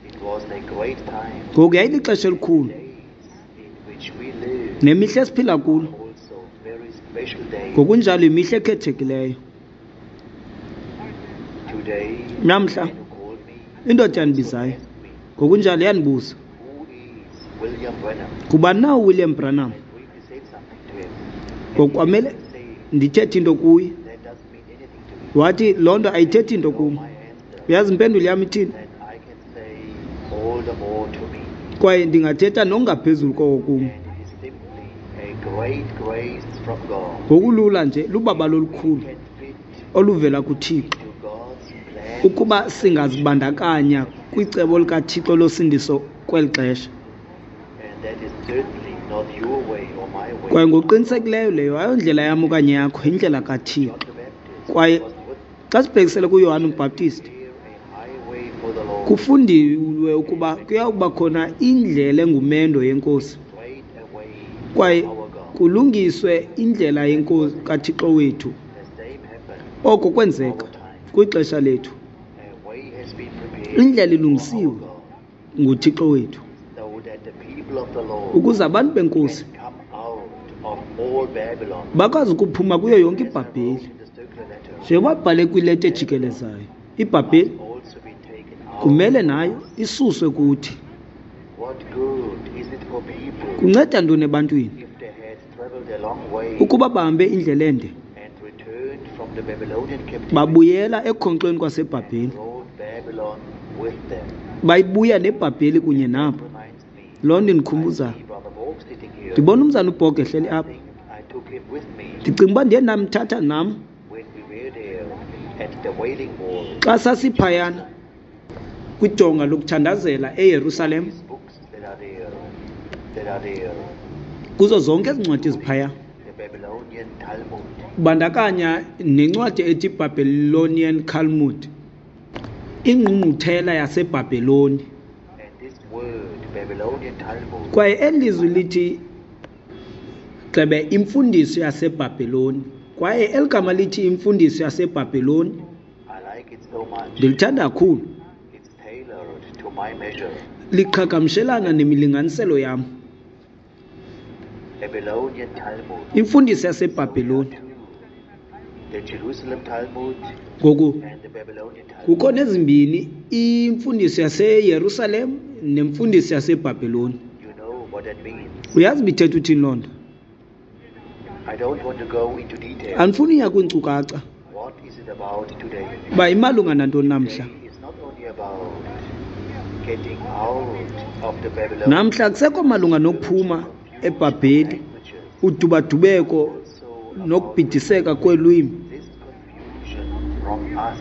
it was a great time. Ngoku yayilixesha elikhulu, Days in which we live nemihla esiphila kulo are also very special days. ngokunjalo yimihla ekhethekileyo. Today, Namhla the man who called me indoda also yandibizayo asked me, Ngokunjalo yandibuza, "Who is William Branham?" ngubani na uWilliam Branham? I briefly said something to him. And he Ngokwamele began to say, ndithethe into kuye. "That doesn't mean anything to me." Wathi loo nto ayithethi into So kum. my answer, Uyazi impendulo yam ithini? that I can say all the more to me. Kwaye ndingathetha nokungaphezulu koko kum. And it is simply a great grace from God. Ngokulula nje lubabalo We olukhulu can fit oluvela kuThixo into God's plan ukuba singazibandakanya kwicebo likaThixo losindiso kweli xesha. And that is certainly not your way or my way. Kwaye ngokuqinisekileyo leyo ayondlela yam okanye yakho, yindlela kaThixo. John the Baptist Kwaye was with xa sibhekisele kuYohane uMbhaptizi, prepare a highway for the Lord, kufundiwe ukuba kuya kuba khona indlela engumendo yeNkosi, straight away kwaye our God. kulungiswe indlela yeNkosi kaThixo wethu. The same happened Oko kwenzeka our time. kwixesha lethu. A way has been prepared Indlela for our ilungisiwe God, nguThixo wethu so that the people of the Lord ukuze abantu beNkosi can come out of all Babylon. bakwazi ukuphuma kuyo yonke As I wrote iBhabheli. in the circular letter, Njengoba bhale kwileta ejikelezayo, iBhabheli must also be taken out kumele of nayo us. isuswe kuthi. What good is it for people Kunceda ntoni ebantwini if they had traveled a long way ukuba bahambe indlela ende and returned from the Babylonian captivity babuyela ekhonkxweni kwaseBhabheli, and brought Babylon with them? bayibuya neBhabheli kunye That nabo? reminds me, Loo nto I indikhumbuza, see Brother Borg sitting here. ndibona umzana uBhog ehleli I apha. think I took him with me Ndicinga uba ndiye ndamthatha nam when we were there at the Wailing Wall. xa sasiphayana kwidonga lokuthandazela eYerusalem. These books that are there, that are there, Kuzo zonke ezi ncwadi ziphaya, the Babylonian Talmud, kubandakanya nencwadi ethi Babylonian Talmud, ingqungquthela yaseBhabheloni. and this word Babylonian Talmud Kwaye eli lizwi lithi gxebe imfundiso yaseBhabheloni, kwaye eli gama lithi imfundiso yaseBhabheloni I like it so much. ndilithanda kakhulu. It's tailored to my measure. Liqhagamshelana nemilinganiselo yam. Babylonian Talmud. Imfundiso So there are yaseBhabheloni. two, the Jerusalem Talmud Ngoku and the Babylonian Talmud. kukho nezimbini, imfundiso yaseYerusalem nemfundiso yaseBhabheloni. You know what that means. Uyazi uba ithetha uthini loo nto? I don't want to go into detail. Andifuni uya kwiinkcukacha What is it about today? uba imalunga nantoni namhla. Today is not only about getting out of the Babylonian Namhla kusekho malunga nokuphuma eBhabheli, languages, udubadubeko also about nokubhidiseka kweelwimi, this confusion from us,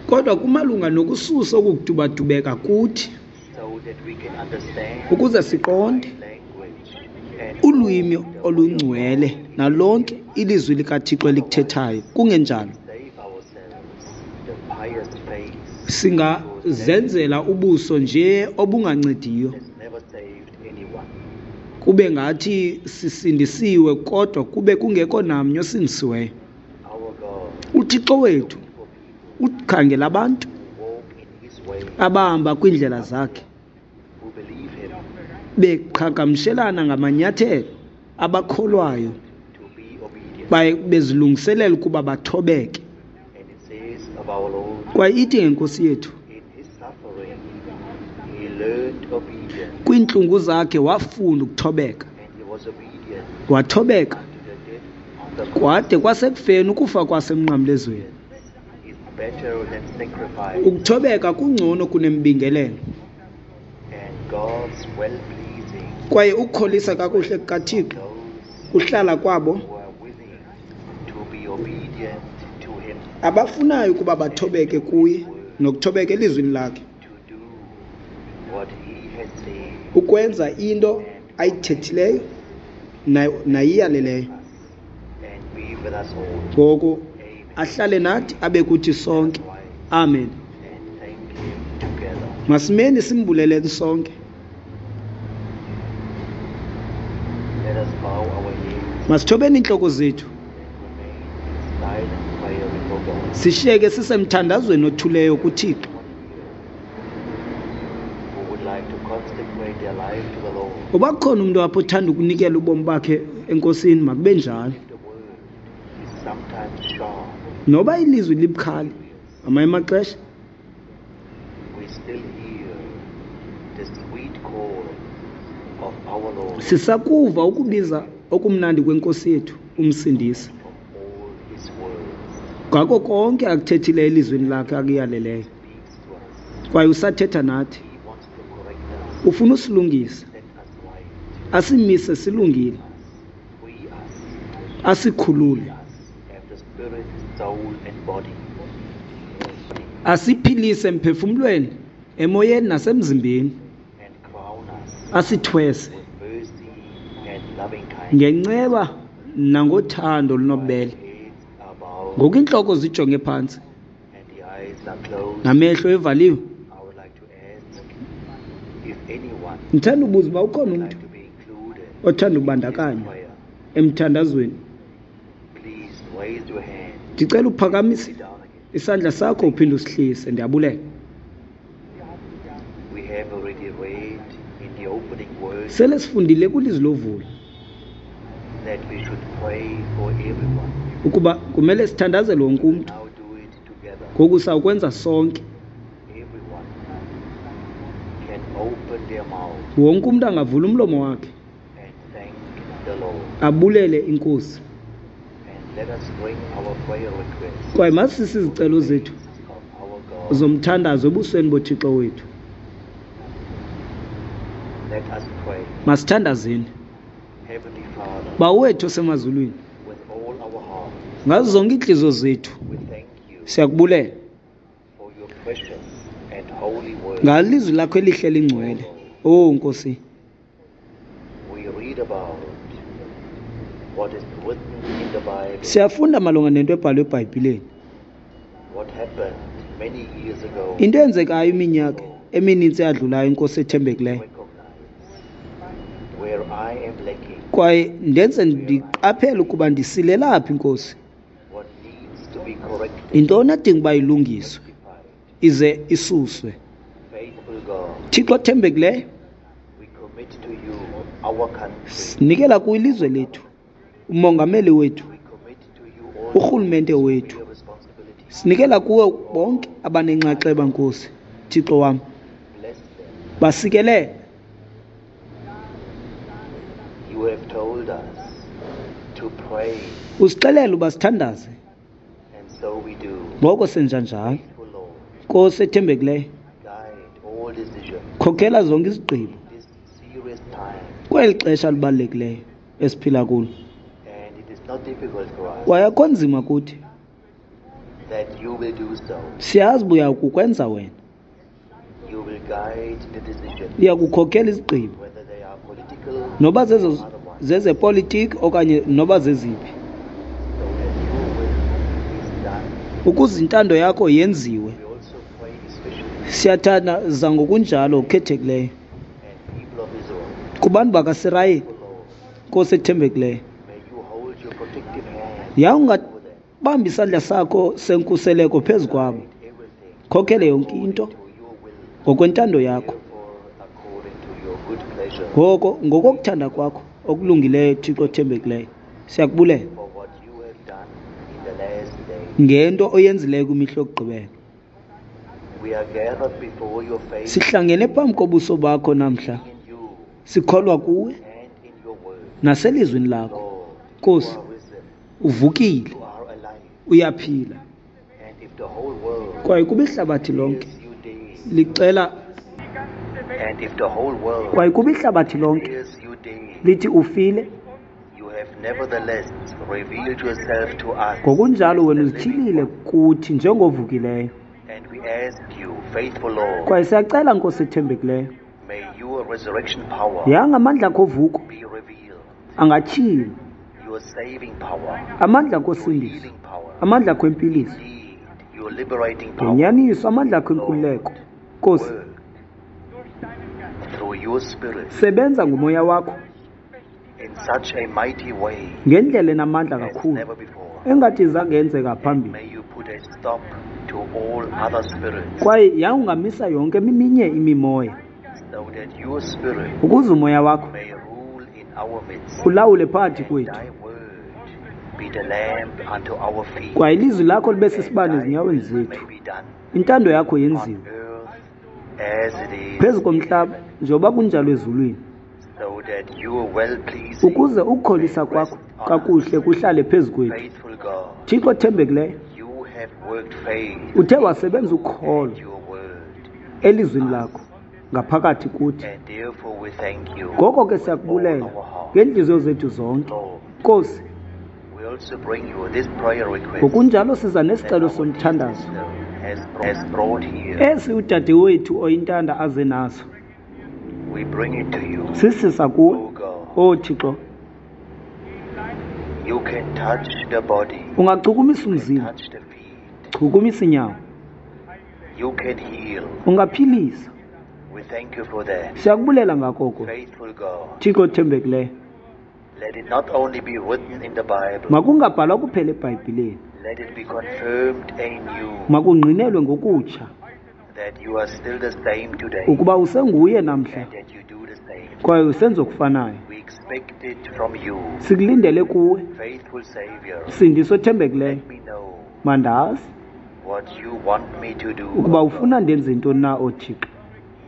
kodwa kumalunga nokususa oku kudubadubeka kuthi so that we can understand ukuze siqonde language and ulwimi all the way of olungcwele God is nalonke ilizwi likaThixo elikuthethayo. Kungenjalo save ourselves the pious face singazenzela ubuso nje obungancediyo, has never saved anyone. kube ngathi sisindisiwe kodwa kube kungekho namnye osindisiweyo. Our God UThixo wethu for people ukhangela abantu who walk in his way, abahamba kwiindlela zakhe, who believe him beqhagamshelana ngamanyathelo, abakholwayo to be obedient. baye bezilungiselela ukuba bathobeke. And it says of our Lord, Kwaye ithi ngenkosi yethu, in his suffering, he learned obedience, kwiintlungu zakhe wafunda ukuthobeka, and he was obedient wathobeka unto the death on the cross. kwade kwasekufeni ukufa kwasemnqamlezweni. Is better than sacrifice, Ukuthobeka kungcono kunembingelelo, and God's well-pleasing kwaye ukukholisa kakuhle kukaThixo those kuhlala kwabo who are willing to be obedient to him, abafunayo ukuba bathobeke kuye nokuthobeka elizwini lakhe, to do what he has said ukwenza into ayithethileyo na- nayiyaleleyo. and be with us all. Ngoku Amen. ahlale nathi abe kuthi sonke. Amen. And thank him together. Masimeni simbuleleni sonke. Let us bow our heads Masithobeni iintloko zethu, and remain in silent prayer before God. sishiyeke sisemthandazweni othuleyo kuThixo. Anyone here who would like to consecrate their life to the Lord, Uba kukhona umntu apho othanda ukunikela ubomi bakhe eNkosini, makube njalo. if the word is sometimes sharp, Noba ilizwi libukhali ngamanye amaxesha, we still hear our Lord Sisakuva ukubiza okumnandi kweNkosi yethu uMsindisi from all his words. ngako konke akuthethileyo elizwini lakhe akuyaleleyo. Speaks to us. Kwaye usathetha nathi. He wants to correct us, Ufuna usilungisa, set us right, asimise silungile, free us, asikhulule, us have the spirit, soul, and body. asiphilise emphefumlweni, emoyeni nasemzimbeni, And crown us asithwese with mercy and loving kindness. ngenceba nangothando olunobubele. Heads are bowed Ngoku iintloko zijonge phantsi and the eyes are closed. namehlo evaliwe. I would like to ask if anyone Ndithanda ubuza uba ukhona would umntu like to be included othanda in this ukubandakanywa prayer. emthandazweni. Please raise your hand. Ndicela uphakamise Sit down again. isandla sakho uphinde usihlise. Ndiyabulela. We have already read in the opening words Sele sifundile kwilizwi lovulo that we should pray for everyone. ukuba kumele sithandazele wonke We umntu. now do it together. Ngoku sawukwenza sonke. Everyone can open their mouth Wonke umntu angavula umlomo wakhe and thank the Lord. abulele iNkosi. And let us bring our prayer requests Kwaye masise izicelo zethu of our God. zomthandazo ebusweni boThixo wethu. Let us pray. Masithandazeni. Heavenly Father, Bawo wethu osemazulwini, with all our heart, ngazo zonke iintliziyo zethu we thank you siyakubulela for your precious and holy word. ngalizwi lakho elihle lingcwele. Oh Nkosi, We read about what is written in the Bible, siyafunda malunga nento ebhalwe eBhayibhileni, what happened many years ago. into eyenzekayo iminyaka eminintsi eyadlulayo, Inkosi ethembekileyo. Recognize where I am lacking, Kwaye ndenze ndiqaphele ukuba ndisilela phi, Nkosi. what needs to be corrected, Yintoni edinga uba ilungiswe rectified. ize isuswe. Faithful God, Thixo othembekileyo, we commit to you our country. sinikela kuwe ilizwe lethu, umongameli wethu, We commit to you all urhulumente wethu. your responsibilities. Sinikela kuwe bonke abanenxaxheba, Nkosi Thixo wam. Bless them. Basikelele. You have told us to pray, Usixelele uba sithandaze, and so we do. ngoko senza njalo. Faithful Lord, Nkosi ethembekileyo, guide all decisions khokhela zonke izigqibo in this serious time. kweli xesha libalulekileyo esiphila kulo. And it is not difficult for us Kwaye akho nzima kuthi, that you will do so. siyazi uba uyakukwenza wena. You will guide the decisions, Uya kukhokela izigqibo, whether they are political noba zezo or otherwise, zezepolitiki okanye noba zeziphi, so that your will is done. ukuze intando yakho yenziwe. We also pray especially Siyathandaza ngokunjalo okukhethekileyo and people of Israel, kubantu bakaSirayeli, O Lord, Nkosi ethembekileyo. may you hold your protective hand Yawungabamba over them. isandla sakho senkuseleko phezu kwabo, Guide everything khokhele yonke into to your will, ngokwentando yakho. therefore according to your good pleasure, Ngoko ngokokuthanda kwakho okulungileyo, Thixo othembekileyo, siyakubulela for what you have done in the last day. ngento oyenzileyo kwimihla yokugqibela. We are gathered before your face Sihlangene phambi kobuso bakho namhla, in you sikholwa kuwe and in your word. naselizwini lakho. Lord, you Nkosi, are risen, uvukile, you are alive, uyaphila. and if the whole world Kwaye kuba ihlabathi lonke hears you dead, licela, and if the whole world kwaye kuba ihlabathi lonke hears you dead, lithi ufile, you have nevertheless revealed yourself to us. ngokunjalo wena as the living uzityhilile one. kuthi njengovukileyo. And we ask you, faithful Lord, Kwaye siyacela, Nkosi ethembekileyo, may your resurrection power yanga amandla akho ovuko be revealed, angatyhilwa, your saving power, amandla akho your osindiso, healing power, amandla akho empiliso, indeed, your liberating power. ngenyaniso amandla akho enkululeko. Nkosi, Work through your spirit sebenza ngomoya wakho in such a mighty way ngendlela enamandla as kakhulu never before. engathi zange yenzeka phambili. May you put a stop to all other spirits Kwaye yawungamisa yonke eminye imimoya, so that your spirit ukuze umoya wakho may rule in our midst. ulawule phakathi And kwethu, thy word be the lamp unto our feet. kwaye ilizwi lakho libe And sisibane thy ezinyaweni will zethu. may be done Intando yakho on yenziwe earth as it is phezu in komhlaba heaven. njengoba kunjalo ezulwini. so that your well-pleasing Ukuze ukukholisa may kwakho rest on kakuhle us. kuhlale phezu kwethu. Faithful God, Thixo othembekileyo, you have worked faith uthe wasebenza ukholo and your word, elizwini lakho ngaphakathi kuthi. and therefore we thank you Ngoko ke with all siyakubulela our heart. ngeentliziyo zethu zonke. Lord, Nkosi, we also bring you this prayer request ngokunjalo siza that nesicelo our dear somthandazo sister has, has brought here. esi udadewethu oyintanda aze naso. We bring it to you, Sisisa kuwe, O God. o Thixo. You can touch the body, Ungachukumisa you can umzimba, touch the feet, chukumisa inyawo, you can heal. ungaphilisa. We thank you for that. Siyakubulela ngako oko. Faithful God, Thixo othembekileyo, let it not only be written in the Bible, makungabhalwa kuphela eBhayibhileni, let it be confirmed anew makungqinelwe ngokutsha that you are still the same today ukuba usenguye namhla and that you do the same. kwaye usenza okufanayo. We expect it from you, Sikulindele kuwe, faithful Savior. Msindisi othembekileyo. Let me know Mandazi what you want me to do. ukuba O ufuna God. ndenze ntoni na, oThixo.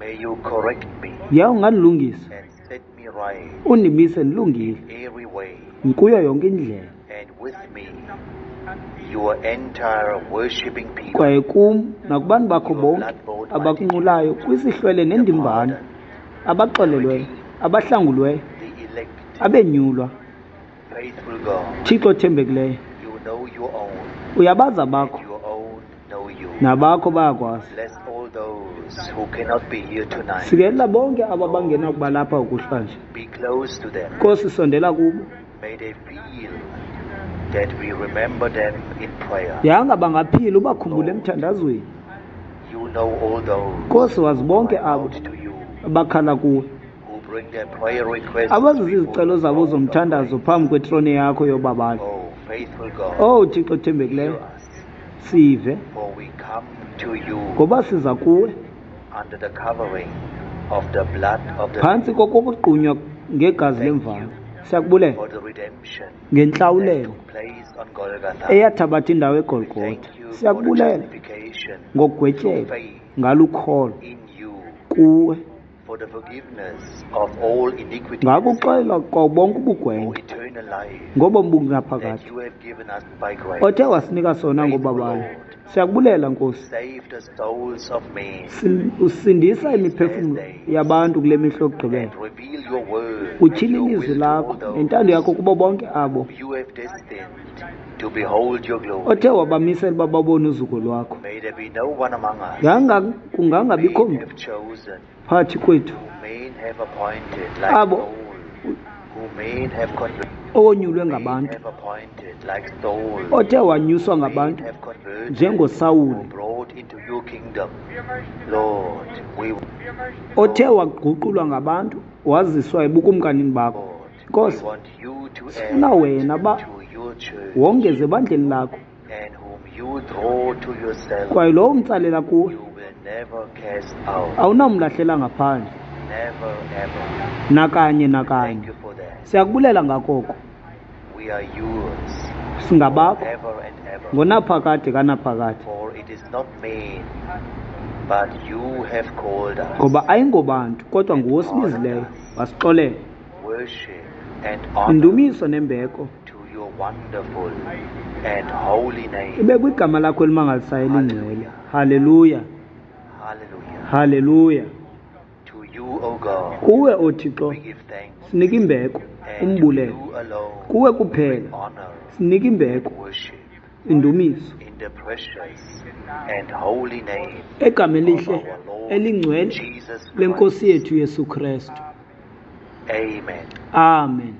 May you correct me Yaye ungandilungisa, and set me right undimise ndilungile every way, kuyo yonke indlela, and with me your entire worshiping people, kwaye kum nakubantu bakho your bonke blood-bought abakunqulayo kwisihlwele the nendimbano, pardoned, abaxolelweyo, abahlangulweyo, the elect, abenyulwa. faithful God. Thixo othembekileyo, You know your own, uyabazi and abakho your own know you. nabakho bayakwazi. Bless all those who cannot be here tonight. Sikelela bonke aba bangenakuba lapha ukuhlanje. Be close to them. Nkosi, sondela kubo. May they feel that we remember them in prayer. Yanga bangaphila ubakhumbule emthandazweni. You know all those Nkosi, wazi who bonke cry abo out to you, abakhala kuwe, who bring their prayer requests abazisa before izicelo the zabo throne of zomthandazo grace. phambi kwetrone yakho yobabalo. Oh, faithful God, Oh Thixo hear othembekileyo, us, sive for we come to you ngoba siza kuwe under the covering of the blood of the phantsi Lamb kokugqunywa ngegazi Thank lemvana. you Siyakubulela for the redemption that ngentlawulelo took place on Golgotha. eyathabatha indawo We eGolgotha. thank you for the Siyakubulela justification through ngokugwetyelwa faith ngalukholo in you, kuwe, for the forgiveness of all iniquity and sin, ngakuxolelwa kwa bonke for ubugwenxa eternal life ngobomi that bungaphakathi you have given us by grace. othe wasinika sona Faithful ngobabalo. Lord, Siyakubulela Nkosi. save the souls of men Sin- Usindisa these last imiphefumlo days yabantu kule mihla yokugqibela. and reveal your word and Utyhila your ilizwi will to all lakho those nentando yakho kubo bonke abo whom you have destined to behold your glory. othe wabamisela uba babone uzuko lwakho. May there be no one among us Yanga whom kungangabikho men mntu have chosen, phakathi kwethu whom men have appointed like abo Saul, who men have converted, owonyulwe men ngabantu, have appointed like Saul, othe wanyuswa whom men ngabantu have converted or njengoSawuli, brought into your kingdom. Lord, we othe Lord, waguqulwa ngabantu waziswa ebukumkanini bakho. Lord, we Nkosi, want you to sifuna add wena ba to your church wongeze ebandleni lakho, and whom you draw to yourself, kwaye lowo umtsalela kuwe you will never cast out. awunamlahlela ngaphandle Never ever. nakanye Thank nakanye. you for that. Siyakubulela ngakoko. We are yours Singabakho forever and ever. ngonaphakade kanaphakade, For it is not men, but you have called us ngoba ayingobantu kodwa and nguwe pardoned osibizileyo us. wasixolela. Worship and honor Indumiso nembeko to your wonderful and holy name. ibe kwigama lakho elimangalisayo elingcwele. Haleluya, Hallelujah. haleluya. To you, O God, Kuwe oThixo we give thanks, sinika imbeko, and to umbulelo. you alone Kuwe we kuphela honor sinika and imbeko, worship indumiso in the precious and holy name egameni of elihle our Lord elingcwele Jesus lenkosi Christ. yethu Yesu Kristu. Amen. Amen.